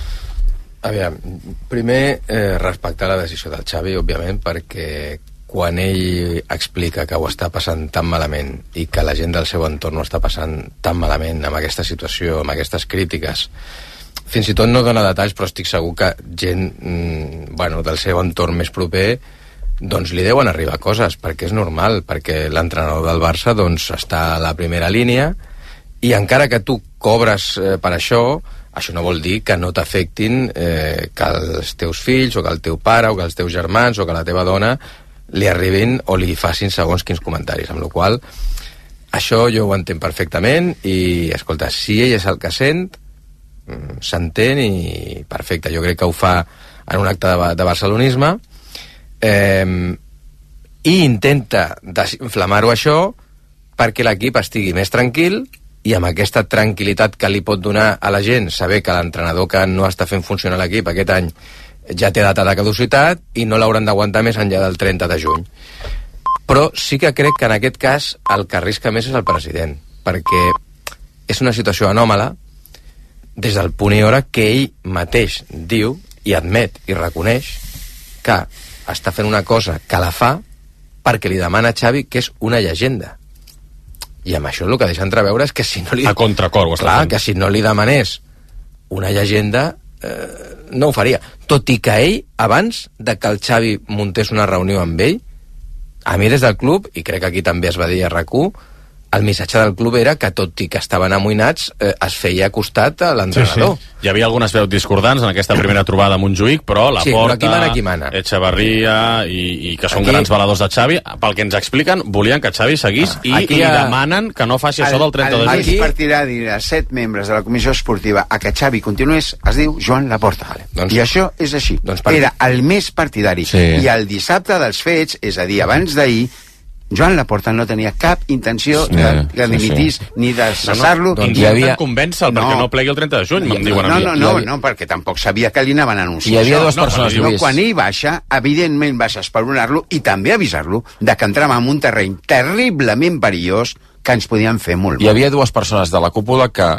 S4: Aviam, primer respectar la decisió del Xavi, òbviament, perquè quan ell explica que ho està passant tan malament i que la gent del seu entorn ho està passant tan malament amb aquesta situació, amb aquestes crítiques, fins i tot no dona detalls, però estic segur que gent del seu entorn més proper doncs li deuen arribar coses, perquè és normal, perquè l'entrenador del Barça doncs està a la primera línia, i encara que tu cobres per això no vol dir que no t'afectin que els teus fills, o que el teu pare, o que els teus germans, o que la teva dona li arribin o li facin segons quins comentaris, amb la qual Això jo ho entenc perfectament i, escolta, si ell és el que sent, s'entén i perfecte. Jo crec que ho fa en un acte de barcelonisme i intenta desinflamar-ho això perquè l'equip estigui més tranquil i amb aquesta tranquil·litat que li pot donar a la gent saber que l'entrenador que no està fent funcionar l'equip aquest any ja té data de caducitat i no l'hauran d'aguantar més enllà del 30 de juny. Però sí que crec que en aquest cas el que arrisca més és el president, perquè és una situació anòmala des del punt i hora que ell mateix diu i admet i reconeix que està fent una cosa que la fa perquè li demana a Xavi que és una llegenda. I amb això el que deixa entreveure és que si no li...
S1: A contracor ho està
S4: clar,
S1: fent.
S4: que si no li demanés una llegenda no ho faria. Tot i que ell, abans de que el Xavi muntés una reunió amb ell, a mi des del club, i crec que aquí també es va dir a RAC1, el missatge del club era que tot i que estaven amoïnats es feia costat a l'entrenador.
S1: Sí. Hi havia algunes veus discordants en aquesta primera trobada a Montjuïc, però la Porta, Echevarría i que són aquí, grans valedors de Xavi, pel que ens expliquen, volien que Xavi seguís i li demanen que no faci això del 30 de juny.
S5: El més partidari de 7 membres de la comissió esportiva a que Xavi continués es diu Joan Laporta. Vale. Doncs, I això és així. Era el més partidari. Sí. I el dissabte dels fets, és a dir, abans d'ahir, Joan Laporta no tenia cap intenció de dimitís ni de cessar-lo.
S1: Doncs intenten convèncer-lo perquè no plegui el 30 de juny, em diuen a mi.
S5: No, perquè tampoc sabia que li anaven a anunciar.
S2: Hi havia dues persones, Lluís.
S5: Quan ell baixa, evidentment baixa a esperonar-lo i també avisar-lo de que entràvem en un terreny terriblement perillós que ens podien fer molt mal.
S2: Hi havia dues persones de la cúpula que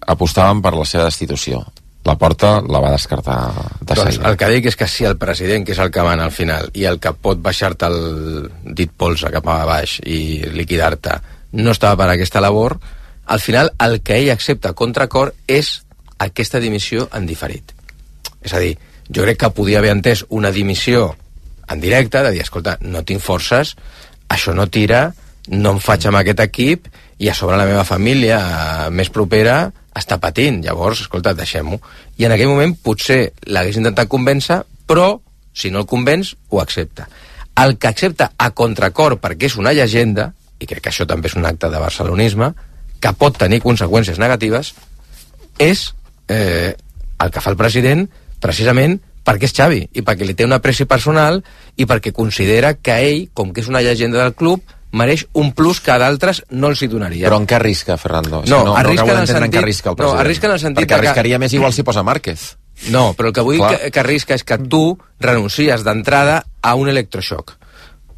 S2: apostaven per la seva destitució. La Porta la va descartar de
S4: seguida. Doncs el que dic és que si el president, que és el que mana al final, i el que pot baixar-te el dit polze cap a baix i liquidar-te, no estava per aquesta labor, al final el que ell accepta a contracor és aquesta dimissió en diferit. És a dir, jo crec que podia haver entès una dimissió en directe, de dir, escolta, no tinc forces, això no tira, no em faig amb aquest equip, i a sobre la meva família més propera està patint, llavors, escolta, deixem-ho. I en aquell moment potser l'hagués intentat convèncer, però si no el convenç, ho accepta. El que accepta a contracor perquè és una llegenda, i crec que això també és un acte de barcelonisme, que pot tenir conseqüències negatives, és el que fa el president precisament perquè és Xavi, i perquè li té una pressió personal i perquè considera que ell, com que és una llegenda del club, mereix un plus que a d'altres no els hi donaria.
S2: Però en què arrisca, Fernando?
S4: No, arrisca en el sentit...
S2: arrisca en el sentit perquè arriscaria més igual si posa Márquez.
S4: No, però el que vull que arrisca és que tu renuncies d'entrada a un electroshock.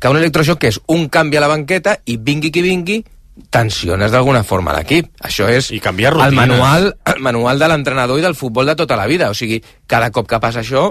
S4: Que un electroshock és un canvi a la banqueta i vingui qui vingui, tensiones d'alguna forma l'equip. Això és el manual de l'entrenador i del futbol de tota la vida. O sigui, cada cop que passa això,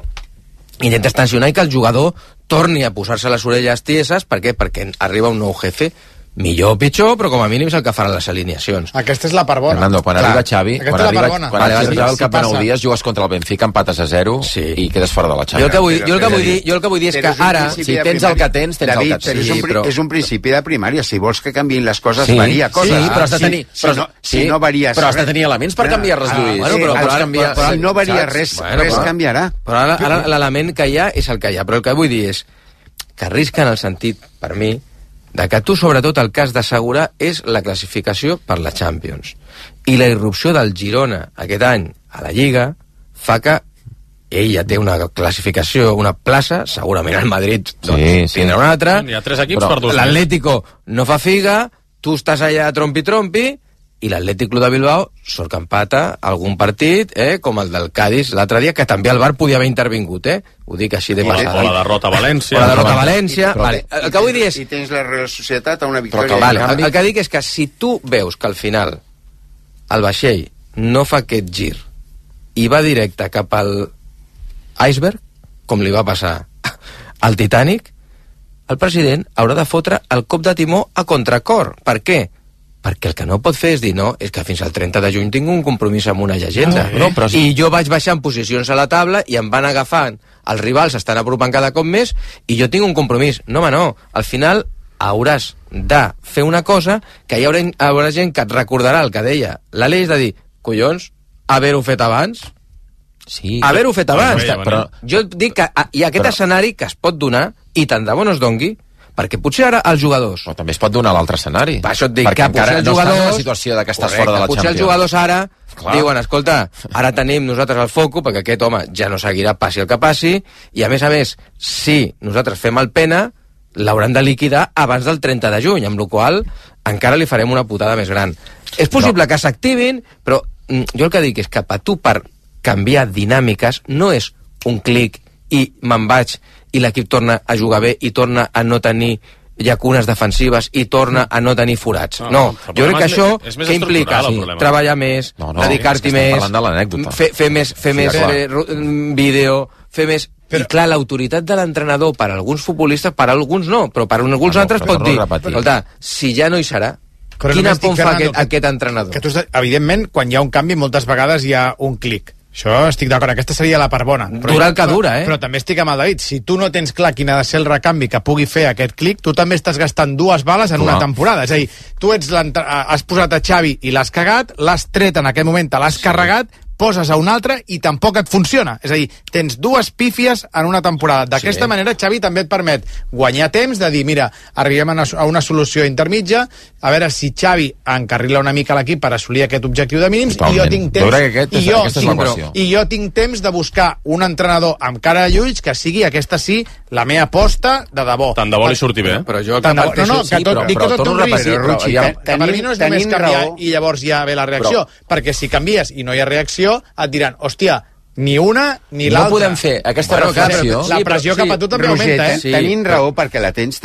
S4: intentes tensionar i que el jugador torni a posar-se les orelles tieses. Per què? Perquè arriba un nou jefe, millor o pitjor, però com a mínim és el que faran les alineacions.
S3: Aquesta és la part bona.
S2: Fernando, quan arriba Xavi, quan arriba el cap de 9 dies, jugues contra el Benfica, empates a 0 i quedes fora de la Champions.
S4: Jo el que vull dir és que ara,
S2: si tens el que tens, tens el que tens.
S5: És un principi de primària. Si vols que canviïn les coses, varia coses.
S2: Sí, però has de tenir...
S5: Si no varies...
S2: Però has de tenir elements per canviar-les, Lluís.
S5: Si no varia res, res canviarà.
S4: Però ara l'element que hi ha és el que hi ha. Però el que vull dir és que arrisca en el sentit, per mi, de que tu, sobretot, el que has d'assegurar és la classificació per la Champions. I la irrupció del Girona aquest any a la Lliga fa que ell ja té una classificació, una plaça, segurament el Madrid tindrà una altra.
S1: Hi ha 3 equips per 2.
S4: L'Atlético no fa figa, tu estàs allà trompi-trompi, i l'Atlètic Club de Bilbao sort que empata algun partit, com el del Cádiz l'altre dia, que també el VAR podia haver intervingut, ho dic així de passada.
S1: O la derrota a València.
S4: O la derrota a València. Vale. El que vull dir és...
S5: I tens la Real Societat a una victòria.
S4: El que dic és que si tu veus que al final el vaixell no fa aquest gir i va directe cap al iceberg, com li va passar al Titanic, el president haurà de fotre el cop de timó a contracor. Per què? Perquè el que no pot fer és dir, no, és que fins al 30 de juny tinc un compromís amb una llegenda. I jo vaig baixant posicions a la taula i em van agafant, els rivals s'estan apropant cada cop més i jo tinc un compromís. No, home, no. Al final hauràs de fer una cosa que hi haurà gent que et recordarà el que deia l'Aleix, de dir, collons, haver-ho fet abans.
S2: Sí,
S4: haver-ho fet abans. Però jo dic que hi ha aquest escenari que es pot donar i tant de bo no es dongui, perquè potser ara els jugadors...
S2: Però també es pot donar l'altre escenari.
S4: Per això et dic que potser els jugadors...
S2: No estàs en la situació que estàs fora de la Champions.
S4: Potser els jugadors ara diuen, escolta, ara tenim nosaltres el foco, perquè aquest home ja no seguirà passi el que passi, i a més, si nosaltres fem el pena, l'hauran de liquidar abans del 30 de juny, amb la qual encara li farem una putada més gran. És possible que s'activin, però jo el que dic és que per tu, per canviar dinàmiques, no és un clic i me'n vaig i l'equip torna a jugar bé i torna a no tenir llacunes defensives i torna a no tenir forats. No, jo crec que això que implica treballar més, dedicar-t'hi més, fer més vídeo, fer més... I clar, l'autoritat de l'entrenador per a alguns futbolistes, per a alguns no, però per a alguns altres pot dir, escolta, si ja no hi serà, quina por fa aquest entrenador?
S3: Que tu, evidentment, quan hi ha un canvi, moltes vegades hi ha un clic. Això estic d'acord, aquesta seria la part bona.
S4: Dura el que dura,
S3: Però també estic amb el David. Si tu no tens clar quin ha de ser el recanvi que pugui fer aquest clic, tu també estàs gastant 2 bales en una temporada. És a dir, tu has posat a Xavi i l'has cagat, l'has tret en aquest moment, te l'has carregat, poses a un altre i tampoc et funciona. És a dir, tens 2 pífies en una temporada. D'aquesta manera, Xavi també et permet guanyar temps de dir, mira, arribem a una solució intermitja, a veure si Xavi encarrila una mica l'equip per assolir aquest objectiu de mínims, i jo tinc temps i jo tinc temps de buscar un entrenador amb cara de llulls que sigui, aquesta sí, la meva aposta de debò.
S1: Tant de bo li surti bé.
S3: Però jo... Per mi no és només canviar i llavors ja ve la reacció, perquè si canvies i no hi ha reacció, et diran, hòstia, ni una ni l'altra.
S2: No podem fer aquesta reflexió.
S3: La pressió cap a tu també augmenta, eh?
S5: Tenint raó perquè la tens,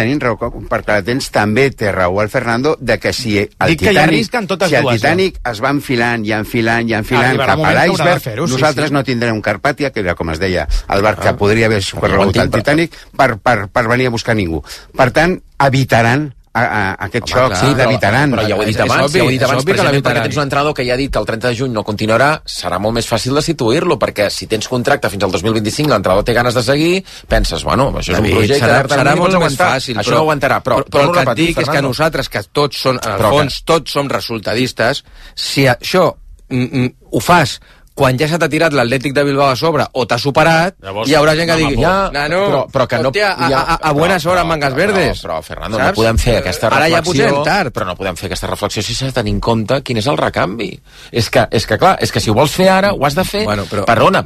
S5: també té raó el Fernando, de que si el Titanic es va enfilant cap a l'iceberg, nosaltres no tindrem un Carpàtia, que era, com es deia, el barc que podria haver corregut el Titanic, per venir a buscar ningú. Per tant, evitaran aquest xoc, l'evitaran.
S2: Però ja ho he dit abans, precisament perquè tens un entrenador que ja ha dit que el 30 de juny no continuarà, serà molt més fàcil de substituir-lo, perquè si tens contracte fins al 2025, l'entrenador té ganes de seguir, penses, bueno, això és un projecte...
S4: Serà molt més fàcil,
S2: això no aguantarà, però
S4: el que et dic és que nosaltres, que tots són, en el fons, tots som resultadistes, si això ho fas quan ja se t'ha tirat l'Atlètic de Bilbao a sobre o t'ha superat, hi haurà gent que digui
S2: però que no...
S4: a buenas horas mangas verdes.
S2: Però, Fernando, no podem fer aquesta reflexió, però no podem fer aquesta reflexió si s'ha de tenir en compte quin és el recanvi. És que clar, és que si ho vols fer ara, ho has de fer... Perdona.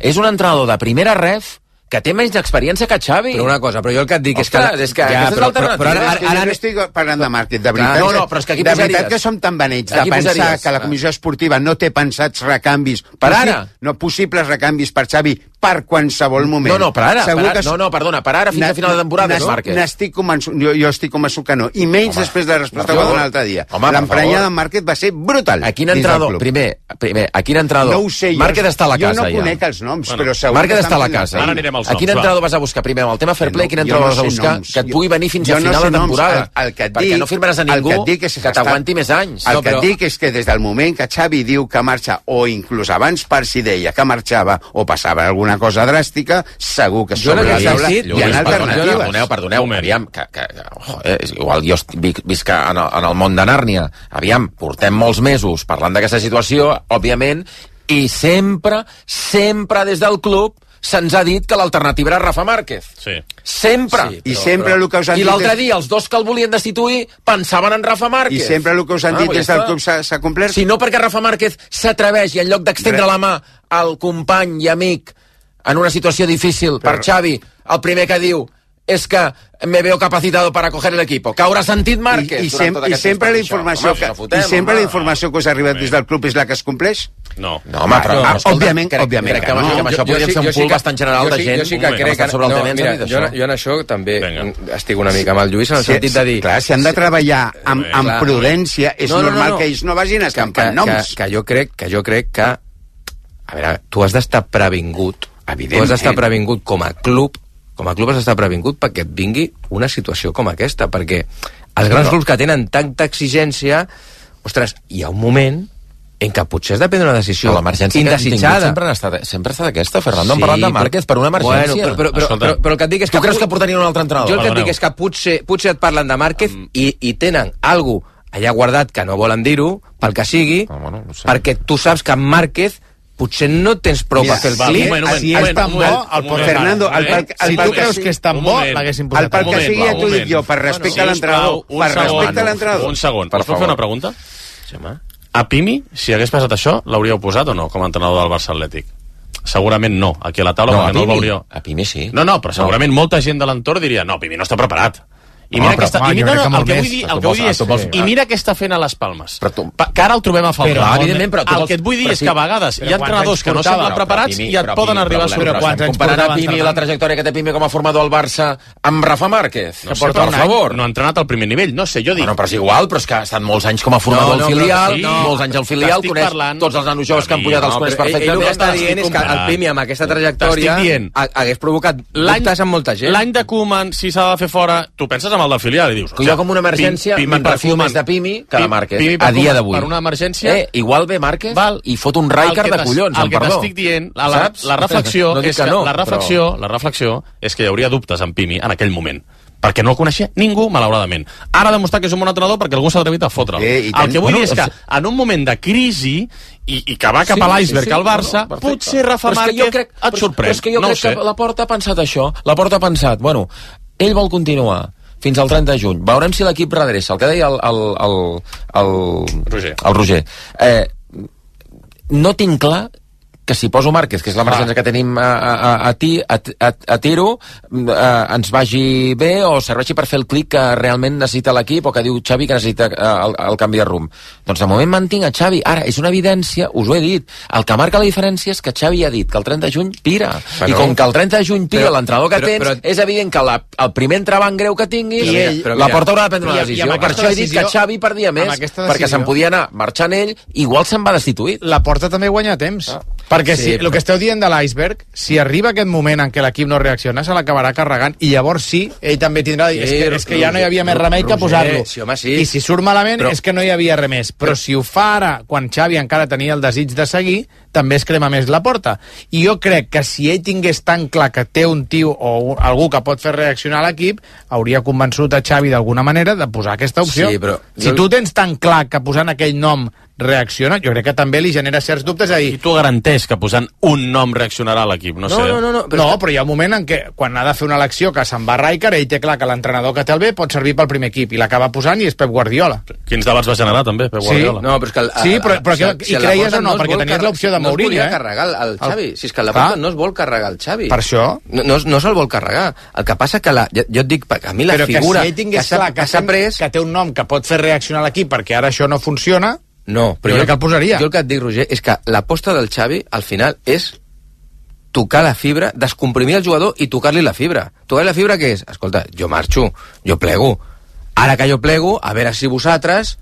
S2: És un entrenador de primera ref que té menys d'experiència que Xavi.
S4: Però una cosa, però jo el que et dic és que...
S2: aquesta és l'alternativa.
S5: Ara no estic parlant de Márquez, de veritat.
S2: No, però és que aquí
S5: de veritat que som tan benets de pensar que la comissió esportiva no té pensats recanvis
S2: per ara.
S5: No possibles recanvis per Xavi per qualsevol moment.
S2: No, per ara. Perdona, per ara fins a final de temporada és Márquez.
S5: N'estic convençut, jo estic convençut que no. I menys després de la resposta que va donar l'altre dia. L'emprenyada de Márquez va ser brutal.
S2: A quin entrenador? Primer, a quin entrenador?
S5: No ho sé.
S2: Márquez està a la casa, ja.
S5: Jo no conec els noms, però segur que...
S2: Márquez està a la casa.
S1: Ara anirem als noms.
S2: A quin entrenador vas a buscar primer? Amb el tema fair play, quin entrenador vas a buscar? Que et pugui venir fins a final de temporada. Perquè no firmaràs a ningú que t'aguanti més anys.
S5: El que et dic és que des del moment que Xavi diu que marxa, o inclús abans Parsi deia que marxava o passava alguna cosa dràstica, segur que sobre la taula hi ha alternatives.
S2: Perdoneu, aviam, igual jo visc en el món de Nàrnia, aviam, portem molts mesos parlant d'aquesta situació, òbviament, i sempre des del club se'ns ha dit que l'alternativa era Rafa Márquez.
S1: Sí.
S2: Sempre.
S5: I sempre el que us han dit...
S2: I l'altre dia, els dos que el volien destituir pensaven en Rafa Márquez.
S5: I sempre el que us han dit des del club s'ha complert?
S2: Si no perquè Rafa Márquez s'atreveix i en lloc d'extendre la mà al company i amic en una situació difícil per Xavi, el primer que diu és que me veo capacitado para coger el equipo. Que haurà sentit Márquez
S5: i sempre la informació que us ha arribat des del club és la que es compleix?
S1: No,
S2: home, però...
S5: Òbviament.
S2: Crec que amb això podríem fer un pool bastant general de gent.
S4: Jo sí que crec que... Jo en això també estic una mica amb el Lluís, en el sentit de dir...
S5: Clar, si han de treballar amb prudència, és normal que ells no vagin escampant noms.
S4: Que jo crec que... A veure, tu has d'estar previngut. Tu has d'estar previngut com a club has d'estar previngut perquè et vingui una situació com aquesta, perquè els grans clubs que tenen tanta exigència, ostres, hi ha un moment en què potser has de prendre una decisió indesitjada.
S2: Sempre ha estat aquesta, Fernando. Hem parlat de Márquez per una emergència.
S4: Però el que et dic és que...
S2: Tu creus que portarien un altre entrenador?
S4: Jo el que et dic és que potser et parlen de Márquez i tenen alguna allà guardat que no volen dir-ho, pel que sigui, perquè tu saps que Márquez potser no tens prou per fer el clic.
S3: Si és tan bo, el pot
S5: Fernando,
S3: si tu creus que és tan bo, l'haguessin posat.
S5: El pel que sigui, ja t'ho dic jo, per respecte a l'entrenador. Per respecte a l'entrenador.
S1: Un segon, us puc fer una pregunta? A Pimi, si hagués passat això, l'hauríeu posat o no, com a entrenador del Barça Atlètic? Segurament no, aquí a la taula, perquè no el veuríeu.
S2: A Pimi sí.
S1: No, però segurament molta gent de l'entorn diria, no, Pimi no està preparat. I mira el que vull dir és, i mira què està fent a les Palmes, que ara el trobem a faltar. El que et vull dir és que a vegades hi ha entrenadors que no semblen preparats i et poden arribar a sorprendre.
S2: Comparant a Pimi i la trajectòria que té Pimi com a formador al Barça amb Rafa Márquez, per favor.
S1: No ha entrenat al primer nivell, no sé, jo dic.
S2: Però és igual, però és que ha estat molts anys com a formador al filial, molts anys al filial, coneix tots els nanos joves que han pujat, els coneix perfectament.
S4: Ell el que està dient és que el Pimi amb aquesta trajectòria hagués provocat dubtes amb molta gent.
S1: L'any de Koeman, si s'ha de fer fora, tu penses amb el del filial i dius,
S2: jo com una emergència me'n refio més de Pimi que de Márquez, a dia d'avui.
S1: Per una emergència...
S2: Igual ve Márquez i fot un Rijkaard de collons,
S1: el que t'estic dient, la reflexió és que hi hauria dubtes en Pimi en aquell moment, perquè no el coneixia ningú, malauradament. Ara ha demostrat que és un bon entrenador perquè algú s'ha atrevit a fotre'l. El que vull dir és que en un moment de crisi i que va cap a l'iceberg al Barça, potser Rafa Márquez et sorprèn.
S2: Però és que jo crec que Laporta ha pensat això. Laporta ha pensat, bueno, ell vol continuar fins al 30 de juny. Veurem si l'equip redreça. El que deia el Roger. No tinc clar que si poso Márquez, que és l'emergència que tenim a tiro, ens vagi bé o serveixi per fer el clic que realment necessita l'equip o que diu Xavi que necessita el canvi de rumb. Doncs de moment mantinc a Xavi. Ara, és una evidència, us ho he dit. El que marca la diferència és que Xavi ha dit que el 30 de juny pira. I com que el 30 de juny pira l'entrenador que tens, és evident que el primer entrebanc greu que tinguis, la Porta haurà de prendre una decisió. Per això he dit que Xavi perdia més, perquè se'n podia anar marxant ell, igual se'n va destituït.
S3: La Porta també guanya temps. Perquè el que esteu dient de l'iceberg, si arriba aquest moment en què l'equip no reacciona, se l'acabarà carregant, i llavors sí, ell també tindrà de dir, és que ja no hi havia més remei que posar-lo. I si surt malament és que no hi havia res més. Però si ho fa ara, quan Xavi encara tenia el desig de seguir, també es crema més la Porta. I jo crec que si ell tingués tan clar que té un tio o algú que pot fer reaccionar l'equip, hauria convençut a Xavi d'alguna manera de posar aquesta opció. Si tu tens tan clar que posant aquell nom reacciona, jo crec que també li genera certs dubtes.
S1: I tu garanteix que posant un nom reaccionarà a l'equip, no sé.
S3: Però hi ha un moment en què, quan ha de fer una elecció que se'n va Rijkaard, ell té clar que l'entrenador que té el B pot servir pel primer equip, i l'acaba posant i és Pep Guardiola.
S1: Quins debats va generar, també, Pep Guardiola?
S4: No, però és que...
S3: I creies o no? Perquè tenies l'opció de Mourinho,
S4: no es volia carregar el Xavi. Si és que la Porta no es vol carregar el Xavi.
S3: Per això?
S4: No se'l vol carregar. El que passa que jo et dic, a mi la figura...
S3: Però que si ell tingués clar que té un nom que pot fer reaccionar l'equip perquè ara això no funciona...
S4: No, però jo el que et dic, Roger, és que l'aposta del Xavi, al final, és tocar la fibra, descomprimir el jugador i tocar-li la fibra. Tocar-li la fibra què és? Escolta, jo marxo, jo plego. Ara que jo plego, a veure si vosaltres,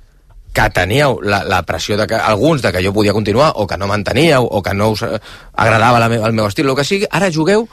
S4: que teníeu la pressió de que alguns de que jo podia continuar, o que no manteníeu, o que no us agradava el meu estil, el que sigui, ara jugueu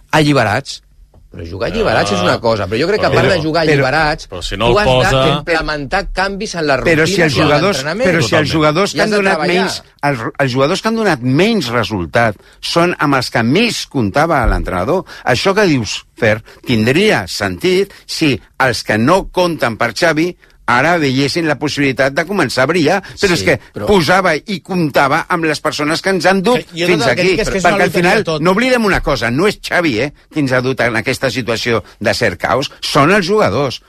S4: alliberats. Però jugar alliberats és una cosa, però jo crec que a part de jugar alliberats,
S1: si no
S4: tu has d'implementar canvis en la rutina.
S5: Però si els jugadors que han donat menys, els jugadors que han donat menys resultat són amb els que més comptava l'entrenador, això que dius, Fer, tindria sentit si els que no compten per Xavi ara veiessin la possibilitat de començar a brillar, però és que posava i comptava amb les persones que ens han dut fins aquí, perquè al final no oblidem una cosa, no és Xavi qui ens ha dut en aquesta situació de cert caos, són els jugadors,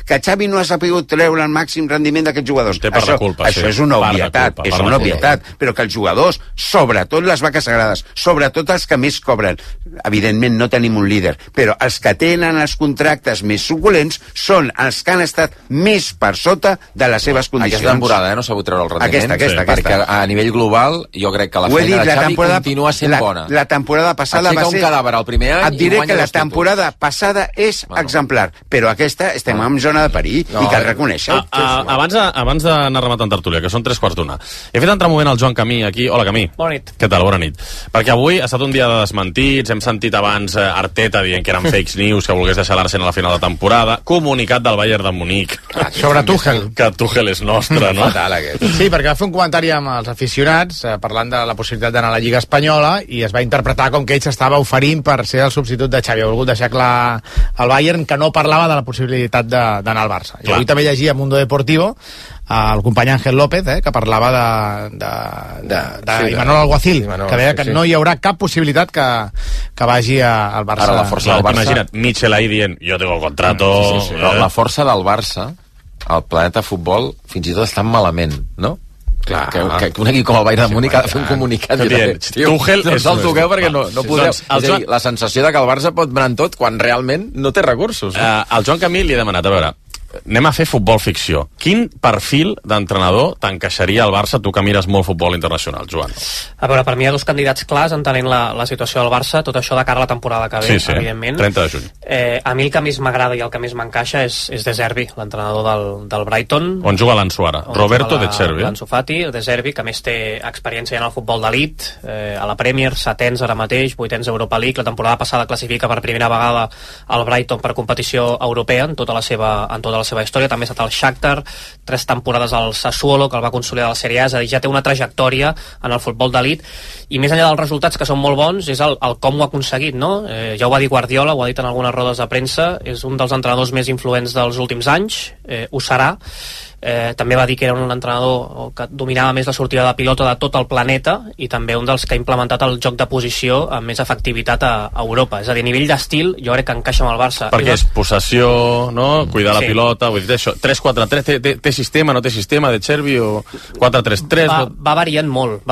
S5: que Xavi no ha sabut treure el màxim rendiment d'aquests jugadors, això és una obvietat, però que els jugadors, sobretot les vaques sagrades, sobretot els que més cobren, evidentment no tenim un líder, però els que tenen els contractes més suculents són els que han estat més per sota de les seves condicions.
S2: Aquesta temporada no s'ha sabut treure el rendiment.
S5: Aquesta.
S2: Perquè a nivell global jo crec que la feina de Xavi continua sent bona.
S5: La temporada passada va ser...
S2: un cadàver al primer any
S5: et diré que la temporada passada és exemplar, però aquesta estem en zona de perill i cal reconèixer.
S1: Abans d'anar rematant tertúlia, que són 3:15, he fet entrar un moment el Joan Camí aquí. Hola, Camí.
S12: Bona nit.
S1: Què tal? Bona nit. Perquè avui ha estat un dia de desmentits, hem sentit abans Arteta dient que eren fakes news, que volgués deixar l'Arsenal a la final de temporada, comunicat del Bayern de Munic
S3: sobre Tuchel.
S1: Que Tuchel és nostre, no?
S3: Fatal, aquest. Sí, perquè va fer un comentari amb els aficionats parlant de la possibilitat d'anar a la Lliga Espanyola i es va interpretar com que ell s'estava oferint per ser el substitut de Xavi. Ha volgut deixar clar al Bayern que no parlava de la possibilitat d'anar al Barça. I avui també llegia a Mundo Deportivo el company Ángel López, que parlava d'Imanol Alguacil, que deia que no hi haurà cap possibilitat que vagi al Barça.
S2: Ara la força del Barça...
S1: Imagina't, Michel ahí dient, jo tengo contrato...
S2: Però la força del Barça, al Planeta Futbol, fins i tot està malament, no? Clar, que un equip com el Bayern de Múnich ha de fer un comunicat
S1: Tuchel
S2: no se'l toqueu perquè no podeu. És a dir, la sensació de que el Barça pot anar en tot quan realment no té recursos.
S1: Al Joan Camil li he demanat, a veure, anem a fer futbol ficció. Quin perfil d'entrenador t'encaixaria al Barça, tu que mires molt futbol internacional, Joan?
S12: A veure, per mi hi ha dos candidats clars entenent la situació del Barça, tot això de cara a la temporada que ve, evidentment.
S1: 30 de juny.
S12: A mi el que més m'agrada i el que més m'encaixa és De Zerbi, l'entrenador del Brighton.
S1: On juga l'Ansu ara? Roberto De Zerbi.
S12: L'Ansu Fati, De Zerbi, que més té experiència en el futbol d'elit, a la Premier, 7ens ara mateix, 8ens Europa League, la temporada passada classifica per primera vegada el Brighton per competició europea en tota la seva història, també ha estat al Shakhtar, 3 temporades al Sassuolo, que el va consolidar a la Serie A, és a dir, ja té una trajectòria en el futbol d'elit, i més enllà dels resultats que són molt bons, és el com ho ha aconseguit, no? Ja ho va dir Guardiola, ho ha dit en algunes rodes de premsa, és un dels entrenadors més influents dels últims anys, ho serà. També va dir que era un entrenador que dominava més la sortida de pilota de tot el planeta i també un dels que ha implementat el joc de posició amb més efectivitat a Europa. És a dir, a nivell d'estil, jo crec que encaixa amb el Barça.
S1: Perquè és possessió, no? Cuidar la pilota, vull dir això. 3-4-3, té sistema, no té sistema, De Zerbi, o 4-3-3?
S12: Va variant molt.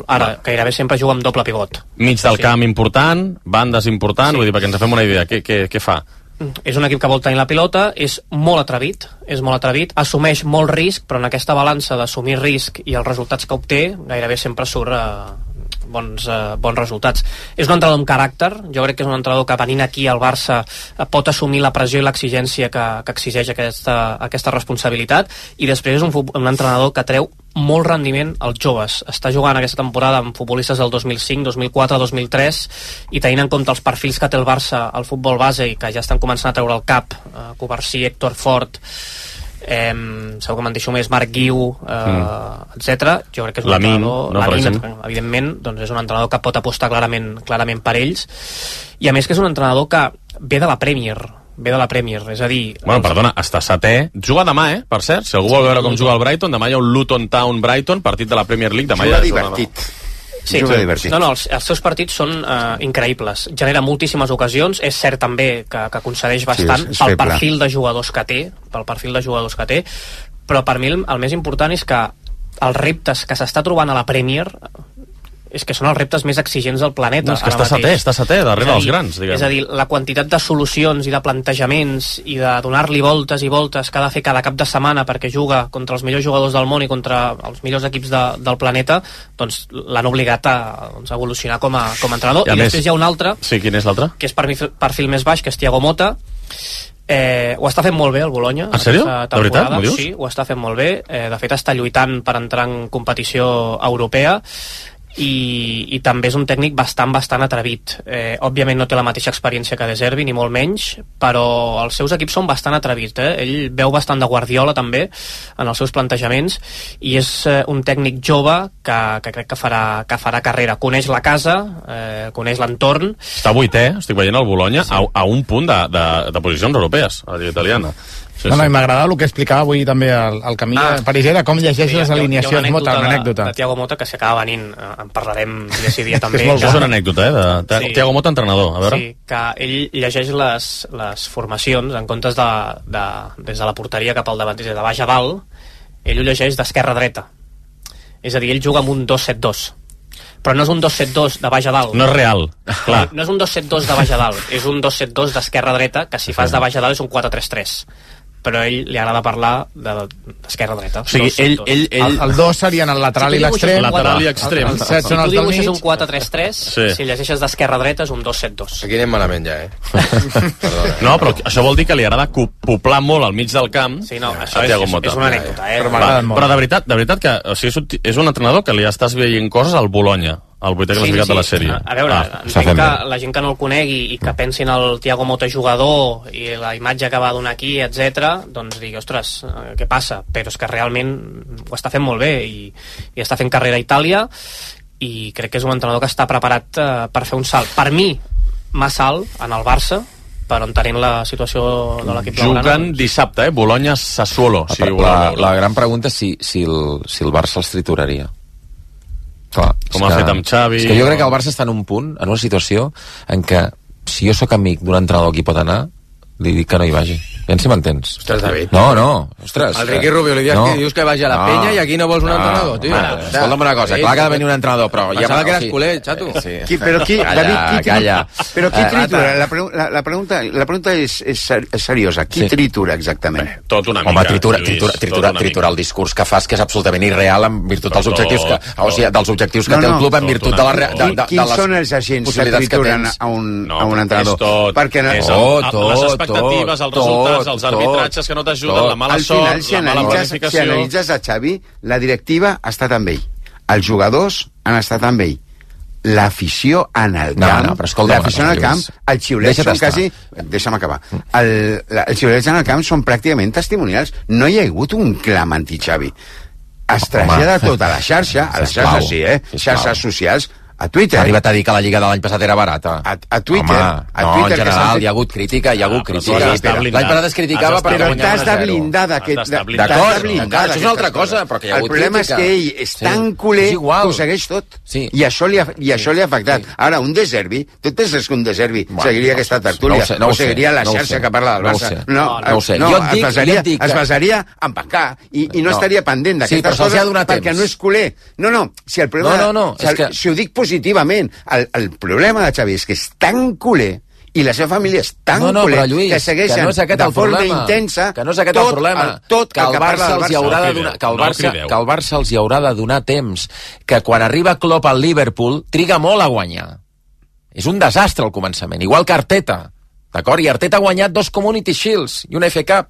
S12: Ara, gairebé sempre juga amb doble pivot.
S1: Mig del camp important, bandes important, vull dir, perquè ens fem una idea. Què fa?
S12: És un equip que vol tenir la pilota, és molt atrevit, assumeix molt risc, però en aquesta balança d'assumir risc i els resultats que obté, gairebé sempre surt bons resultats. És un entrenador amb caràcter, jo crec que és un entrenador que venint aquí al Barça pot assumir la pressió i l'exigència que exigeix aquesta responsabilitat, i després és un entrenador que treu molt rendiment als joves. Està jugant aquesta temporada amb futbolistes del 2005, 2004, 2003, i tenint en compte els perfils que té el Barça al futbol base i que ja estan començant a treure el cap, Covarsí, Héctor Fort, segur que me'n deixo més, Marc Guiu, etc. Jo crec que és un entrenador, evidentment, doncs és un entrenador que pot apostar clarament per ells, i a més que és un entrenador que ve de la Premier, és a dir...
S1: Bueno, perdona, està setè, juga demà, per cert, si algú vol veure com juga el Brighton, demà hi ha un Luton Town Brighton, partit de la Premier League, demà
S5: juga divertit.
S12: Sí, els seus partits són increïbles, genera moltíssimes ocasions, és cert també que concedeix bastant pel perfil de jugadors que té, però per mi el més important és que els reptes que s'està trobant a la Premier és que són els reptes més exigents del planeta.
S1: No, és que està setè, darrere dels grans, diguem.
S12: És a dir, la quantitat de solucions i de plantejaments i de donar-li voltes i voltes que ha de fer cada cap de setmana perquè juga contra els millors jugadors del món i contra els millors equips del planeta, doncs l'han obligat a evolucionar com a entrenador. I després hi ha un altre,
S1: sí, quin és l'altre?
S12: Que és perfil més baix, que és Thiago Motta. Ho està fent molt bé el Bologna.
S1: En sèrio? De veritat? M'ho dius?
S12: Sí, ho està fent molt bé. De fet, està lluitant per entrar en competició europea. I també és un tècnic bastant atrevit. Òbviament no té la mateixa experiència que De Zerbi, ni molt menys, però els seus equips són bastant atrevits. Ell veu bastant de Guardiola també en els seus plantejaments, i és un tècnic jove que crec que farà carrera. Coneix la casa, coneix l'entorn.
S1: Està vuitè, estic veient el Bologna, sí, a un punt de posicions europees a la italiana.
S3: Sí. M'agradava el que explicava avui també el Camí Parisera, com llegeix les alineacions. Una
S12: anècdota de Thiago Motta que si acaba venint en parlarem dia també.
S1: És una anècdota, de Thiago Motta, entrenador, a veure.
S12: Sí, que ell llegeix les formacions en comptes des de la porteria cap al davant, des de baix a dalt, ell ho llegeix d'esquerra a dreta. És a dir, ell juga amb un 2-7-2. Però no és un 2-7-2 de baix a dalt.
S1: No és real, clar.
S12: No és un 2-7-2 de baix a dalt, és un 2-7-2 d'esquerra a dreta, que si fas de baix a dalt és un 4-3-3. Però a ell li agrada parlar d'esquerra a dreta.
S1: O sigui,
S3: el 2 serien el lateral i l'extrem.
S1: Lateral i extrem.
S12: El 7 són els del mig. Si tu dibuixes un 4-3-3, si llegeixes d'esquerra a dreta és un 2-7-2.
S4: Aquí anem malament ja,
S1: No, però això vol dir que li agrada poblar molt al mig del camp.
S12: Sí, no, això és una anècdota.
S1: Però de veritat que és un entrenador que li estàs veient coses al Bologna, el vuitè classificat de la sèrie.
S12: A veure, entenc que la gent que no el conegui i que pensi en el Thiago Motta jugador i la imatge que va donar aquí, etc, doncs digui, ostres, què passa? Però és que realment ho està fent molt bé i està fent carrera a Itàlia, i crec que és un entrenador que està preparat per fer un salt. Per mi, massa alt en el Barça, entenent la situació de l'equip blaugrana.
S1: Juguen dissabte, Bologna-Sassuolo.
S2: La gran pregunta és si el Barça els trituraria. Clar,
S1: com ha fet amb Xavi.
S2: És que jo crec que el Barça està en un punt, en una situació en què si jo sóc amic d'un entrenador que hi pot anar, li dic que no hi vagi. Ben si m'entens.
S4: Ostres, David.
S2: No, ostres.
S4: El Riqui Rubio li dius que vagi a la penya i aquí no vols un entrenador, tio.
S2: Escolta'm una cosa, clar que ha de venir un entrenador, però...
S4: Pensava que eres culer, xato.
S5: Però qui tritura? La pregunta és seriosa. Qui tritura exactament?
S1: Tot una mica.
S2: Home, tritura el discurs que fas, que és absolutament irreal en virtut dels objectius que té el club, en virtut de les...
S5: Quins són els agents que trituren a un entrenador?
S1: Les expectatives, els resultats, els arbitratges que no t'ajuden, la mala sort, la mala planificació...
S5: Si analitzes a Xavi, la directiva ha estat amb ell, els jugadors han estat amb ell, l'afició en el camp, l'afició en el camp, els xiulets són quasi... Deixa'm acabar. Els xiulets en el camp són pràcticament testimonials. No hi ha hagut un clam anti-Xavi. Es trasllada tota la xarxa, a les xarxes sí, xarxes socials, a Twitter.
S2: Ha arribat a dir que la Lliga de l'any passat era barata.
S5: A Twitter.
S2: En general, hi ha hagut crítica, L'any passat es criticava per
S5: guanyar 1-0. Però t'has de blindar d'aquest...
S2: D'acord, això és una altra cosa, però que hi ha hagut crítica.
S5: El problema és que ell és tan culer que ho segueix tot. I això li ha afectat. Ara, un De Zerbi, tu penses que un De Zerbi seguiria aquesta tertúlia o seguiria la xarxa que parla del Barça? No ho sé. Es basaria en pencar i no estaria pendent d'aquestes coses perquè no és culer. No, si el problema... Si ho dic positivament. El problema de Xavi és que és tan culer i la seva família és tan culer que segueixen de forma intensa
S2: que no és aquest el problema, que el Barça els hi haurà de donar temps, que quan arriba Klopp al Liverpool triga molt a guanyar. És un desastre al començament, igual que Arteta, d'acord? I Arteta ha guanyat 2 Community Shields i una FA Cup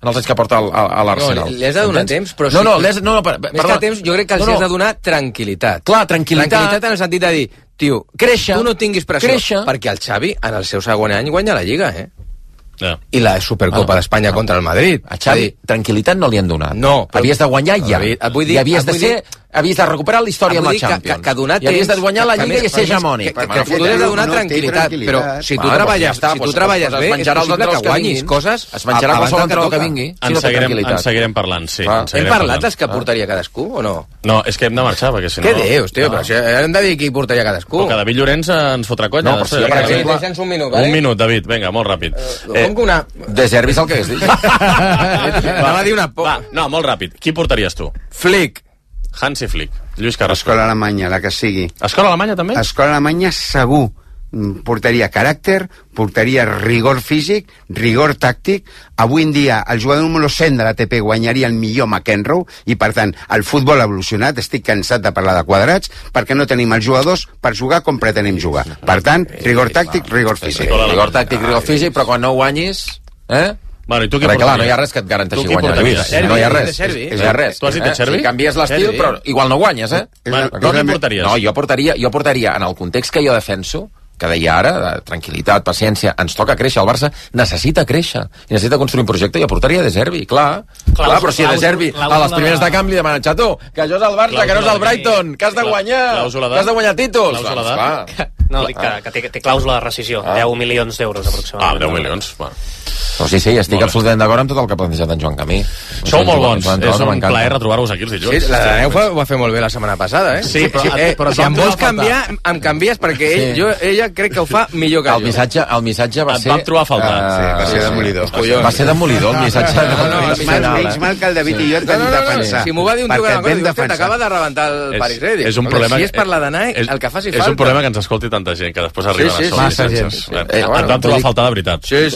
S2: en els anys que porta a l'Arsenal.
S4: Li has de donar temps, però
S2: més
S4: que temps, jo crec que els has de donar tranquil·litat.
S2: Clar, tranquil·litat
S4: en el sentit de dir, tio, tu no tinguis pressió, perquè el Xavi en el seu segon any guanya la Lliga, i la Supercopa d'Espanya contra el Madrid.
S2: A Xavi, tranquil·litat no li han donat.
S4: No.
S2: Havies de guanyar ja. I havies de recuperar la història amb la Champions. I havies de guanyar la Lliga i ser hegemònic.
S4: Que tu has de donar tranquil·litat, però si tu treballes bé, és possible que guanyis coses.
S2: Es menjarà qualsevol entrenador que vingui.
S1: En seguirem parlant, sí.
S4: Hem parlat dels que portaria cadascú, o no?
S1: No, és que hem de marxar, perquè si no...
S4: Què dius, tio? Però hem de dir qui portaria cadasú.
S1: Però que David Llorenç ens fotrà conya.
S2: No, per exemple...
S1: Un minut, David, vinga, molt ràpid.
S2: De Zerbi és el que hagués dit.
S4: Anava a dir una por.
S1: No, molt ràpid. Qui portaries tu?
S4: Flick.
S1: Hansi Flick. Lluís Carrasco.
S5: Escola alemanya, la que sigui.
S1: Escola alemanya també?
S5: Escola alemanya segur. Portaria caràcter, portaria rigor físic, rigor tàctic. Avui en dia el jugador número 100 de l'ATP guanyaria el millor McEnroe i per tant el futbol ha evolucionat. Estic cansat de parlar de quadrats perquè no tenim els jugadors per jugar com pretenem jugar. Per tant, rigor tàctic, rigor físic.
S2: Rigor tàctic, rigor físic, però quan no guanyis...
S1: Bueno, i tu què
S2: portaries? Clar, no hi ha res que et garanteixi guanyar, Lluís. No hi ha res.
S1: No hi ha res. Tu has dit de Servi?
S2: Si canvies l'estil, però igual no guanyes,
S1: Tu què portaries?
S2: No, jo portaria, en el context que jo defenso, que deia ara, tranquil·litat, paciència, ens toca créixer, el Barça necessita créixer, i necessita construir un projecte, jo portaria De Zerbi, clar, però si De Zerbi a les primeres de camp li demanen, xato, que això és el Barça, que no és el Brighton, que has de guanyar títols.
S12: No, dic que té clàusula de rescisió, 10 milions d'euros aproximadament.
S1: 10 milions, bueno.
S2: Però sí, estic absolutament d'acord amb tot el que ha plantejat en Joan Camí.
S1: Sou molt bons, és un plaer retrobar-vos aquí els dilluns.
S4: Sí, la Daneu ho va fer molt bé la setmana passada,
S1: Sí, però
S4: si em vols canviar, em canvies, perquè ella crec que ho fa millor que jo.
S2: El missatge va ser...
S1: Et vam trobar a faltar.
S5: Va ser demolidor.
S2: Va ser demolidor, el missatge.
S5: Menys mal que el David i jo et vam defensar.
S4: Si m'ho va dir un tio que t'acaba de rebentar el Paris Ready. Si és per la Danai, el que faci falta.
S1: És un problema que ens escolti tanta gent, que després arriba a
S5: massa gent.
S1: Et vam trobar a faltar de veritat.
S4: Sí.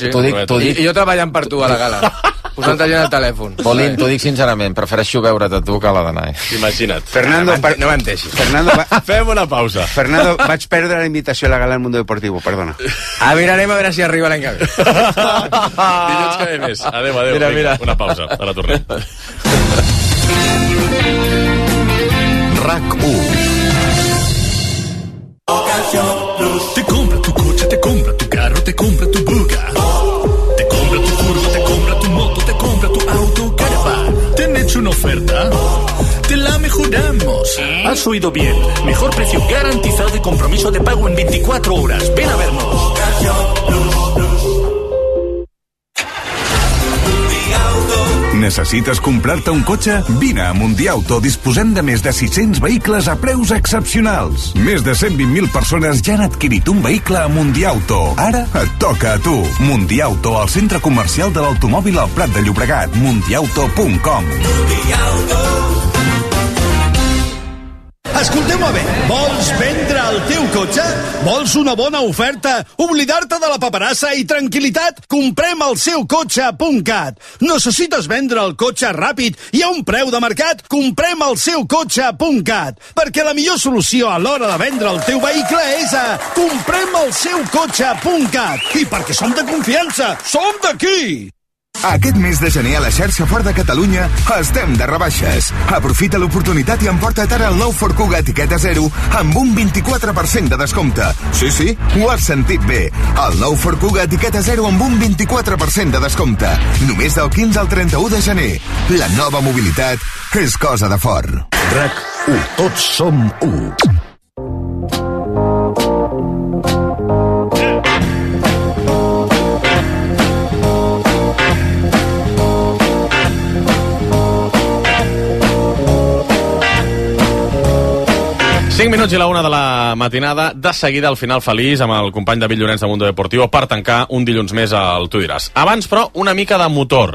S4: I jo treballant per tu a la gala, posant gent al telèfon.
S2: Bolín, t'ho dic sincerament, prefereixo veure't a tu que a la Danai.
S1: Imagina't.
S5: Fernando,
S4: no menteixis.
S1: Fem una pausa.
S5: Fernando, vaig perdre la invitació a la gala del Mundo Deportivo, perdona.
S4: Mirarem a veure si arriba l'any que ve.
S1: Dilluns que ve més. Adéu.
S2: Mira.
S1: Una pausa, ara tornem.
S13: RAC1. Te compra tu coche, te compra tu carro, te compra tu buga. Te compra tu furgo, te compra tu moto, te compra tu auto, caravan. ¿Te han hecho una oferta? Te la mejoramos. Has oído bien. Mejor precio garantizado y compromiso de pago en 24 horas. Ven a vernos.
S14: Necessites comprar-te un cotxe? Vine a Mundiauto. Disposem de més de 600 vehicles a preus excepcionals. Més de 120.000 persones ja han adquirit un vehicle a Mundiauto. Ara et toca a tu. Mundiauto, al centre comercial de l'automòbil al Prat de Llobregat. Mundiauto.com.
S15: Escolteu-me bé, vols vendre el teu cotxe? Vols una bona oferta? Oblidar-te de la paperassa i tranquil·litat? Comprem el seu cotxe.cat. Necessites vendre el cotxe ràpid i a un preu de mercat? Comprem el seu cotxe.cat. Perquè la millor solució a l'hora de vendre el teu vehicle és a comprem el seu cotxe.cat. I perquè som de confiança, som d'aquí!
S16: Aquest mes de gener a la xarxa Ford de Catalunya estem de rebaixes. Aprofita l'oportunitat i emporta't ara el nou Ford Kuga etiqueta 0 amb un 24% de descompte. Sí, ho has sentit bé. El nou Ford Kuga etiqueta 0 amb un 24% de descompte. Només del 15 al 31 de gener. La nova mobilitat és cosa de Ford.
S15: RAC1. Tots som 1.
S1: Cinc minuts i la 1 de la matinada, de seguida al final feliç amb el company David Llorenç de Mundo Deportivo per tancar un dilluns més al Tu diràs. Abans, però, una mica de motor.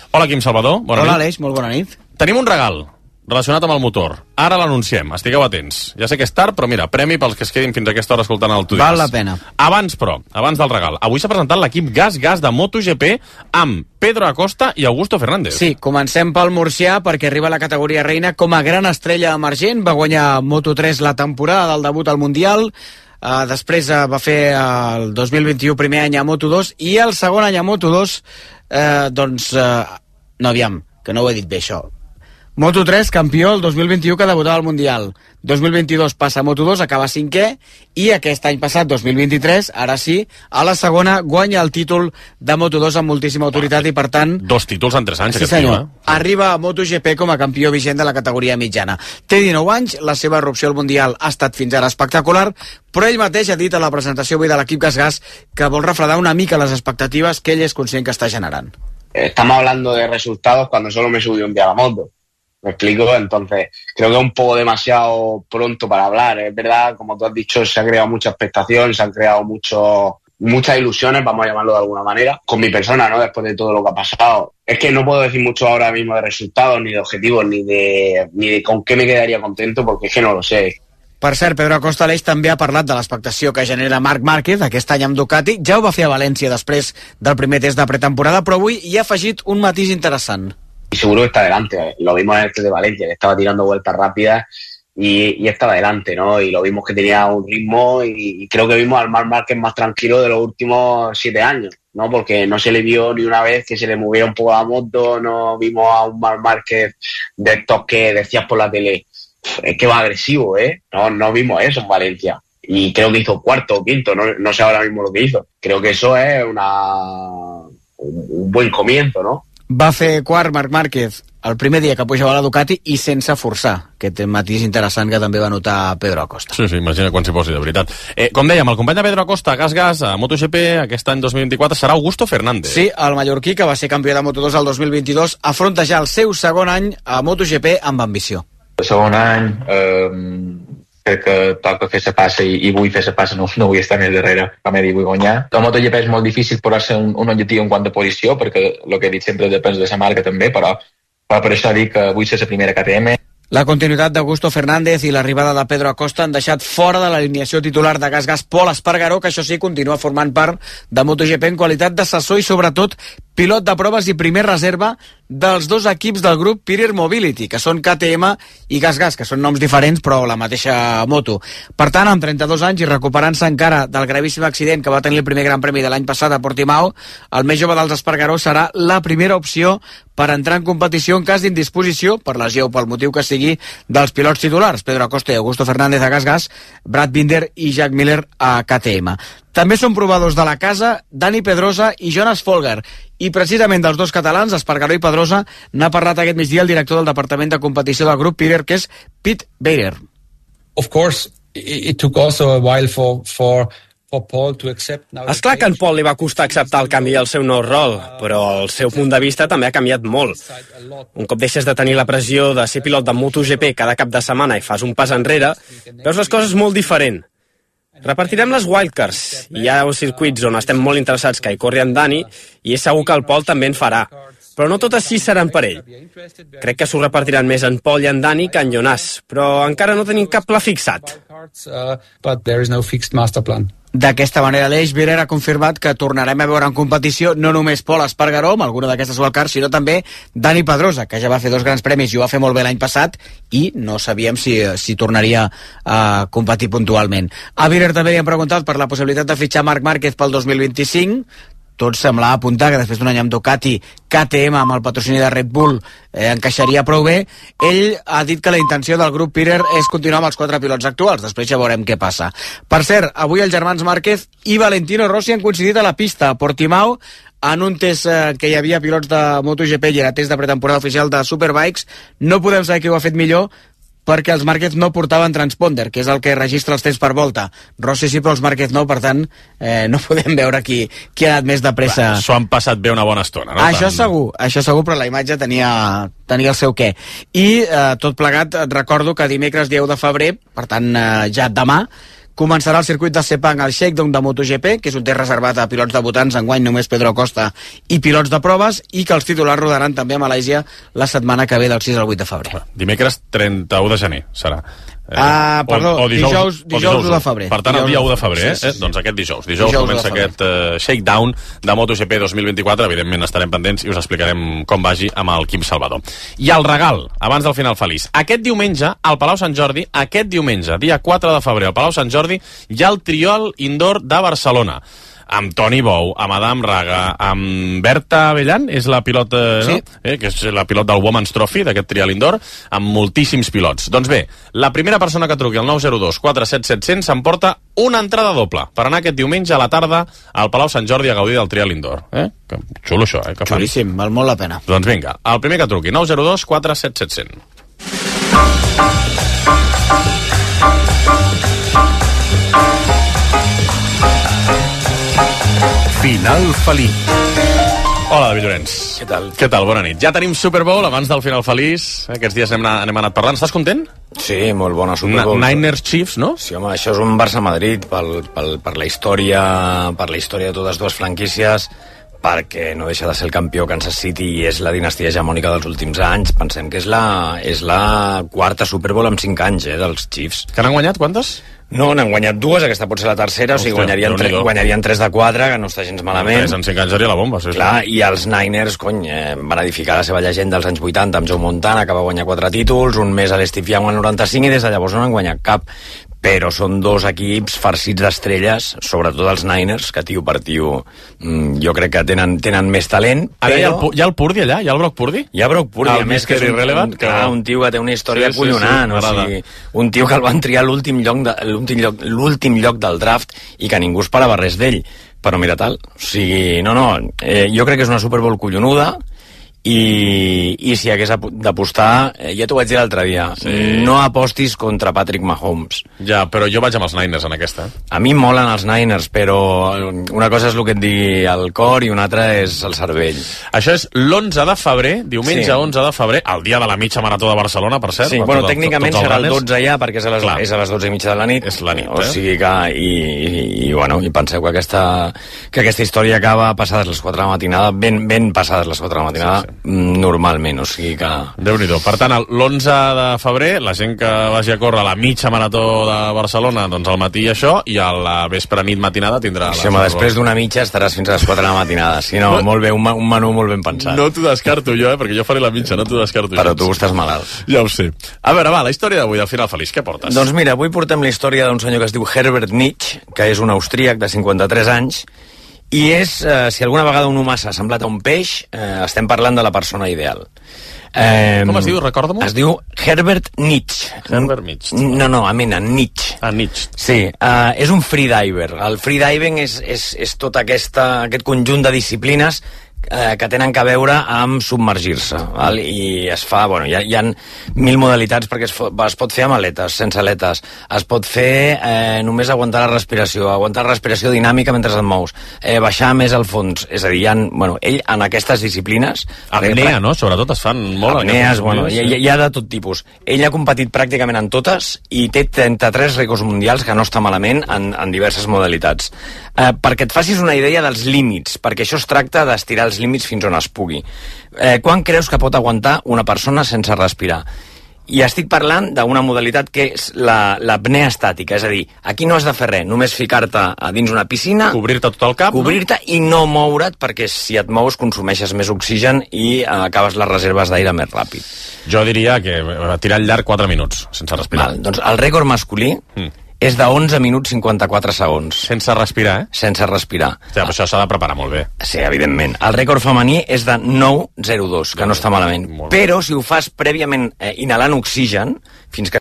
S1: Hola, Quim Salvador. Bona
S17: Hola,
S1: nit.
S17: Aleix, molt bona nit.
S1: Tenim un regal relacionat amb el motor. Ara l'anunciem, estigueu atents. Ja sé que és tard, però mira, premi pels que es quedin fins a aquesta hora escoltant el Tu diràs.
S17: Val la pena.
S1: Abans, però, abans del regal, avui s'ha presentat l'equip Gas de MotoGP amb Pedro Acosta i Augusto Fernández.
S17: Sí, comencem pel murcià perquè arriba a la categoria reina com a gran estrella emergent. Va guanyar Moto3 la temporada del debut al Mundial. Després va fer el 2021 primer any a Moto2 i el segon any a Moto2 no, aviam, que no ho he dit bé això. Moto3, campió el 2021 que debutava al Mundial. 2022 passa a Moto2, acaba cinquè, i aquest any passat, 2023, ara sí, a la segona guanya el títol de Moto2 amb moltíssima autoritat i, per tant...
S1: 2 títols en 3 anys,
S17: sí, senyor. Arriba a MotoGP com a campió vigent de la categoria mitjana. Té 19 anys, la seva erupció al Mundial ha estat fins ara espectacular, però ell mateix ha dit a la presentació avui de l'equip Gas que vol refredar una mica les expectatives que ell és conscient que està generant.
S18: Estamos hablando de resultados cuando solo me subí un día a la moto. ¿Me explico? Entonces, creo que es un poco demasiado pronto para hablar. Es verdad, como tú has dicho, se ha creado mucha expectación, se han creado muchas ilusiones, vamos a llamarlo de alguna manera, con mi persona, ¿no? Después de todo lo que ha pasado. Es que no puedo decir mucho ahora mismo de resultados, ni de objetivos, ni de con qué me quedaría contento, porque es que no lo sé.
S17: Per cert, Pedro Acosta Aleix també ha parlat de l'expectació que genera Marc Márquez aquest any amb Ducati. Ja ho va fer a València després del primer test de pretemporada, però avui hi ha afegit un matís interessant.
S18: Y seguro que está adelante. Lo vimos en el test de Valencia, que estaba tirando vueltas rápidas y estaba adelante, ¿no? Y lo vimos que tenía un ritmo y creo que vimos al Marc Márquez más tranquilo de los últimos 7 años, ¿no? Porque no se le vio ni una vez que se le moviera un poco la moto, no vimos a un Marc Márquez de estos que decías por la tele, es que va agresivo, ¿eh? No vimos eso en Valencia. Y creo que hizo cuarto o quinto, no sé ahora mismo lo que hizo. Creo que eso es un buen comienzo, ¿no?
S17: Va fer quart Marc Márquez el primer dia que pujava a la Ducati i sense forçar, aquest matís interessant que també va notar Pedro Acosta.
S1: Sí, imagina quan s'hi posi, de veritat. Com dèiem, el company de Pedro Acosta, Gas, a MotoGP, aquest any 2024, serà Augusto Fernández.
S17: Sí, el mallorquí, que va ser campió de Moto2 el 2022, afronta ja el seu segon any a MotoGP amb ambició.
S19: El segon any crec que toca fer la passa i vull fer la passa, no vull estar més darrere, com he dit, vull guanyar. El MotoGP és molt difícil posar-se un objectiu en quant a posició, perquè el que he dit sempre depèn de la marca també, però per això dic que vull ser la primera KTM.
S17: La continuïtat d'Augusto Fernández i l'arribada de Pedro Acosta han deixat fora de l'alineació titular de Gas Pol Espargaró, que això sí continua formant part de MotoGP en qualitat d'assessor i sobretot pilot de proves i primer reserva dels dos equips del grup Pirer Mobility, que són KTM i Gas, que són noms diferents però la mateixa moto. Per tant, amb 32 anys i recuperant-se encara del gravíssim accident que va tenir el primer Gran Premi de l'any passat a Portimao, el més jove dels Espargaró serà la primera opció per entrar en competició en cas d'indisposició, per lesió o pel motiu que sigui, dels pilots titulars, Pedro Acosta i Augusto Fernández a Gas, Brad Binder i Jack Miller a KTM. També són provadors de la casa Dani Pedrosa i Jonas Folger, i precisament dels dos catalans, Espargaró i Pedrosa, n'ha parlat aquest migdia el director del Departament de Competició del grup Pirer, que és Pete Bader.
S20: Of course, it took also a while for És clar que en Paul li va costar acceptar el canvi al seu nou rol, però el seu punt de vista també ha canviat molt. Un cop deixes de tenir la pressió de ser pilot de MotoGP cada cap de setmana i fas un pas enrere, veus les coses molt diferent. Repartirem les wildcards. Hi ha circuits on estem molt interessats que hi corri en Dani i és segur que el Paul també en farà. Però no totes 6 seran per ell. Crec que s'ho repartiran més en Paul i en Dani que en Jonas, però encara no tenim cap pla fixat.
S17: D'aquesta manera, l'Eix Virer ha confirmat que tornarem a veure en competició no només Pol Espargaró amb alguna d'aquestes wildcards, sinó també Dani Pedrosa, que ja va fer 2 grans premis i ho va fer molt bé l'any passat i no sabíem si tornaria a competir puntualment. A Virer també li han preguntat per la possibilitat de fitxar Marc Márquez pel 2025. Tot semblava apuntar que després d'un any amb Ducati, KTM amb el patrocini de Red Bull encaixaria prou bé. Ell ha dit que la intenció del grup Virer és continuar amb els 4 pilots actuals, després ja veurem què passa. Per cert, avui els germans Márquez i Valentino Rossi han coincidit a la pista a Portimao en un test que hi havia pilots de MotoGP i era test de pretemporada oficial de Superbikes. No podem saber qui ho ha fet millor, perquè els Márquez no portaven transponder, que és el que registra els temps per volta. Rossi sí, però els Márquez no, per tant, no podem veure qui ha anat més de pressa.
S1: S'ho han passat bé una bona estona, no?
S17: Això segur, però la imatge tenia el seu què. I tot plegat, et recordo que dimecres 10 de febrer, per tant, ja demà, començarà el circuit de Sepang al Shakedown de MotoGP, que és un test reservat a pilots debutants, enguany només Pedro Acosta i pilots de proves, i que els titulars rodaran també a Malàisia la setmana que ve del 6 al 8 de febrer.
S1: Dimecres 31 de gener serà.
S17: Perdó, dijous 1 de febrer.
S1: Per tant, el dia 1 de febrer, doncs aquest dijous comença aquest Shakedown de MotoGP 2024. Evidentment estarem pendents i us explicarem com vagi amb el Quim Salvador. I el regal, abans del final feliç, aquest diumenge al Palau Sant Jordi, dia 4 de febrer al Palau Sant Jordi, hi ha el Trial Indoor de Barcelona, amb Toni Bou, amb Adam Raga, amb Berta Avellan, és la pilot, sí, no? Que és la pilot del Women's Trophy, d'aquest Trial Indoor, amb moltíssims pilots. Doncs bé, la primera persona que truqui al 902 47 700 s'emporta una entrada doble per anar aquest diumenge a la tarda al Palau Sant Jordi a gaudir del Trial Indoor. Que xulo això, que
S17: xulíssim, val molt la pena.
S1: Doncs vinga, el primer que truqui, 902 47 700.
S14: Final feliç.
S1: Hola, David Llorenç.
S4: Què tal?
S1: Bona nit. Ja tenim Super Bowl abans del final feliç. Aquests dies hem anat parlant. Estàs content?
S4: Sí, molt bona Super Bowl.
S1: Niners Chiefs, no?
S4: Sí, home, això és un Barça-Madrid per la història de totes dues franquícies, perquè no deixa de ser el campió Kansas City i és la dinastia hegemònica dels últims anys. Pensem que és la quarta Super Bowl en 5 anys, dels Chiefs.
S1: Que n'han guanyat quantes?
S4: No, n'han guanyat 2, aquesta pot ser la tercera. Hòstia, o sigui, guanyarien 3 de 4, que no està gens malament.
S1: 3 en 5 anys seria la bomba, sí.
S4: Clar, i els Niners, van edificar la seva llegenda als anys 80 amb Joe Montana, que va guanyar 4 títols, un més a l'Steve Young al 95, i des de llavors no n'han guanyat cap. Però són 2 equips farcits d'estrelles, sobretot els Niners, que tio per tio jo crec que tenen més talent.
S1: Ara hi ha el Purdy allà? Hi ha el Brock Purdy?
S4: Hi ha Brock Purdy, a més que és un tio que té una història acollonant, o sigui, un tio que el van triar l'últim lloc del draft i que ningú esperava res d'ell, però mira tal, o sigui, jo crec que és una Super Bowl collonuda. I si hagués d'apostar, ja t'ho vaig dir l'altre dia, no apostis contra Patrick Mahomes.
S1: Ja, però jo vaig amb els Niners en aquesta.
S4: A mi molen els Niners, però una cosa és el que et digui el cor i una altra és el cervell.
S1: Això és l'11 de febrer, diumenge 11 de febrer, el dia de la mitja marató de Barcelona, per cert.
S4: Sí, bueno, tècnicament serà el 12 ja, perquè és a les 12 i mitja de la nit.
S1: És la nit,
S4: o sigui que, i penseu que aquesta història acaba passades les 4 de la matinada, ben passades les 4 de la matinada, normalment, o sigui que...
S1: Déu-n'hi-do. Per tant, l'11 de febrer, la gent que vagi a córrer la mitja marató de Barcelona, doncs al matí això, i a la vespre nit matinada tindrà...
S4: Sí, home, després d'una mitja estaràs fins a les 4 de la matinada. Si no, molt bé, un menú molt ben pensat.
S1: No t'ho descarto jo, perquè jo faré la mitja, no t'ho descarto.
S4: Però tu estàs malalt.
S1: Ja ho sé. A veure, va, la història d'avui, del final feliç, què portes?
S4: Doncs mira, avui portem la història d'un senyor que es diu Herbert Nietzsche, que és un austríac de 53 anys, i és, si alguna vegada un humà s'ha semblat a un peix, estem parlant de la persona ideal.
S1: Com es diu, recorda-m'ho?
S4: Es diu Herbert Nietzsche.
S1: Herbert Nietzsche.
S4: No, amena, Nietzsche.
S1: Nietzsche.
S4: Sí, és un freediver. El freediving és tot aquest conjunt de disciplines
S17: que tenen que veure amb submergir-se, val? I es fa, bueno, hi ha 1000 modalitats perquè es pot fer amb aletes, sense aletes, es pot fer només aguantar la respiració dinàmica mentre et mous, baixar més al fons, és a dir, bueno, ell en aquestes disciplines...
S1: Apnea, no? Sobretot es fan molt...
S17: Apnees, bueno, hi ha de tot tipus. Ell ha competit pràcticament en totes i té 33 rècords mundials, que no està malament, en diverses modalitats. Perquè et facis una idea dels límits, perquè això es tracta d'estirar els límits fins on es pugui. Quan creus que pot aguantar una persona sense respirar? I estic parlant d'una modalitat que és l'apnea estàtica, és a dir, aquí no has de fer res, només ficar-te a dins una piscina,
S1: cobrir-te tot el cap,
S17: cobrir-te i no moure't, perquè si et mous consumeixes més oxigen i acabes les reserves d'aire més ràpid.
S1: Jo diria que tirar al llarg 4 minuts, sense respirar.
S17: Doncs el rècord masculí és de 11 minuts 54 segons.
S1: Sense respirar,
S17: Sense respirar.
S1: Ja, però això s'ha de preparar molt bé.
S17: Sí, evidentment. El rècord femení és de 9,02, que no està malament. Però si ho fas prèviament inhalant oxigen, fins que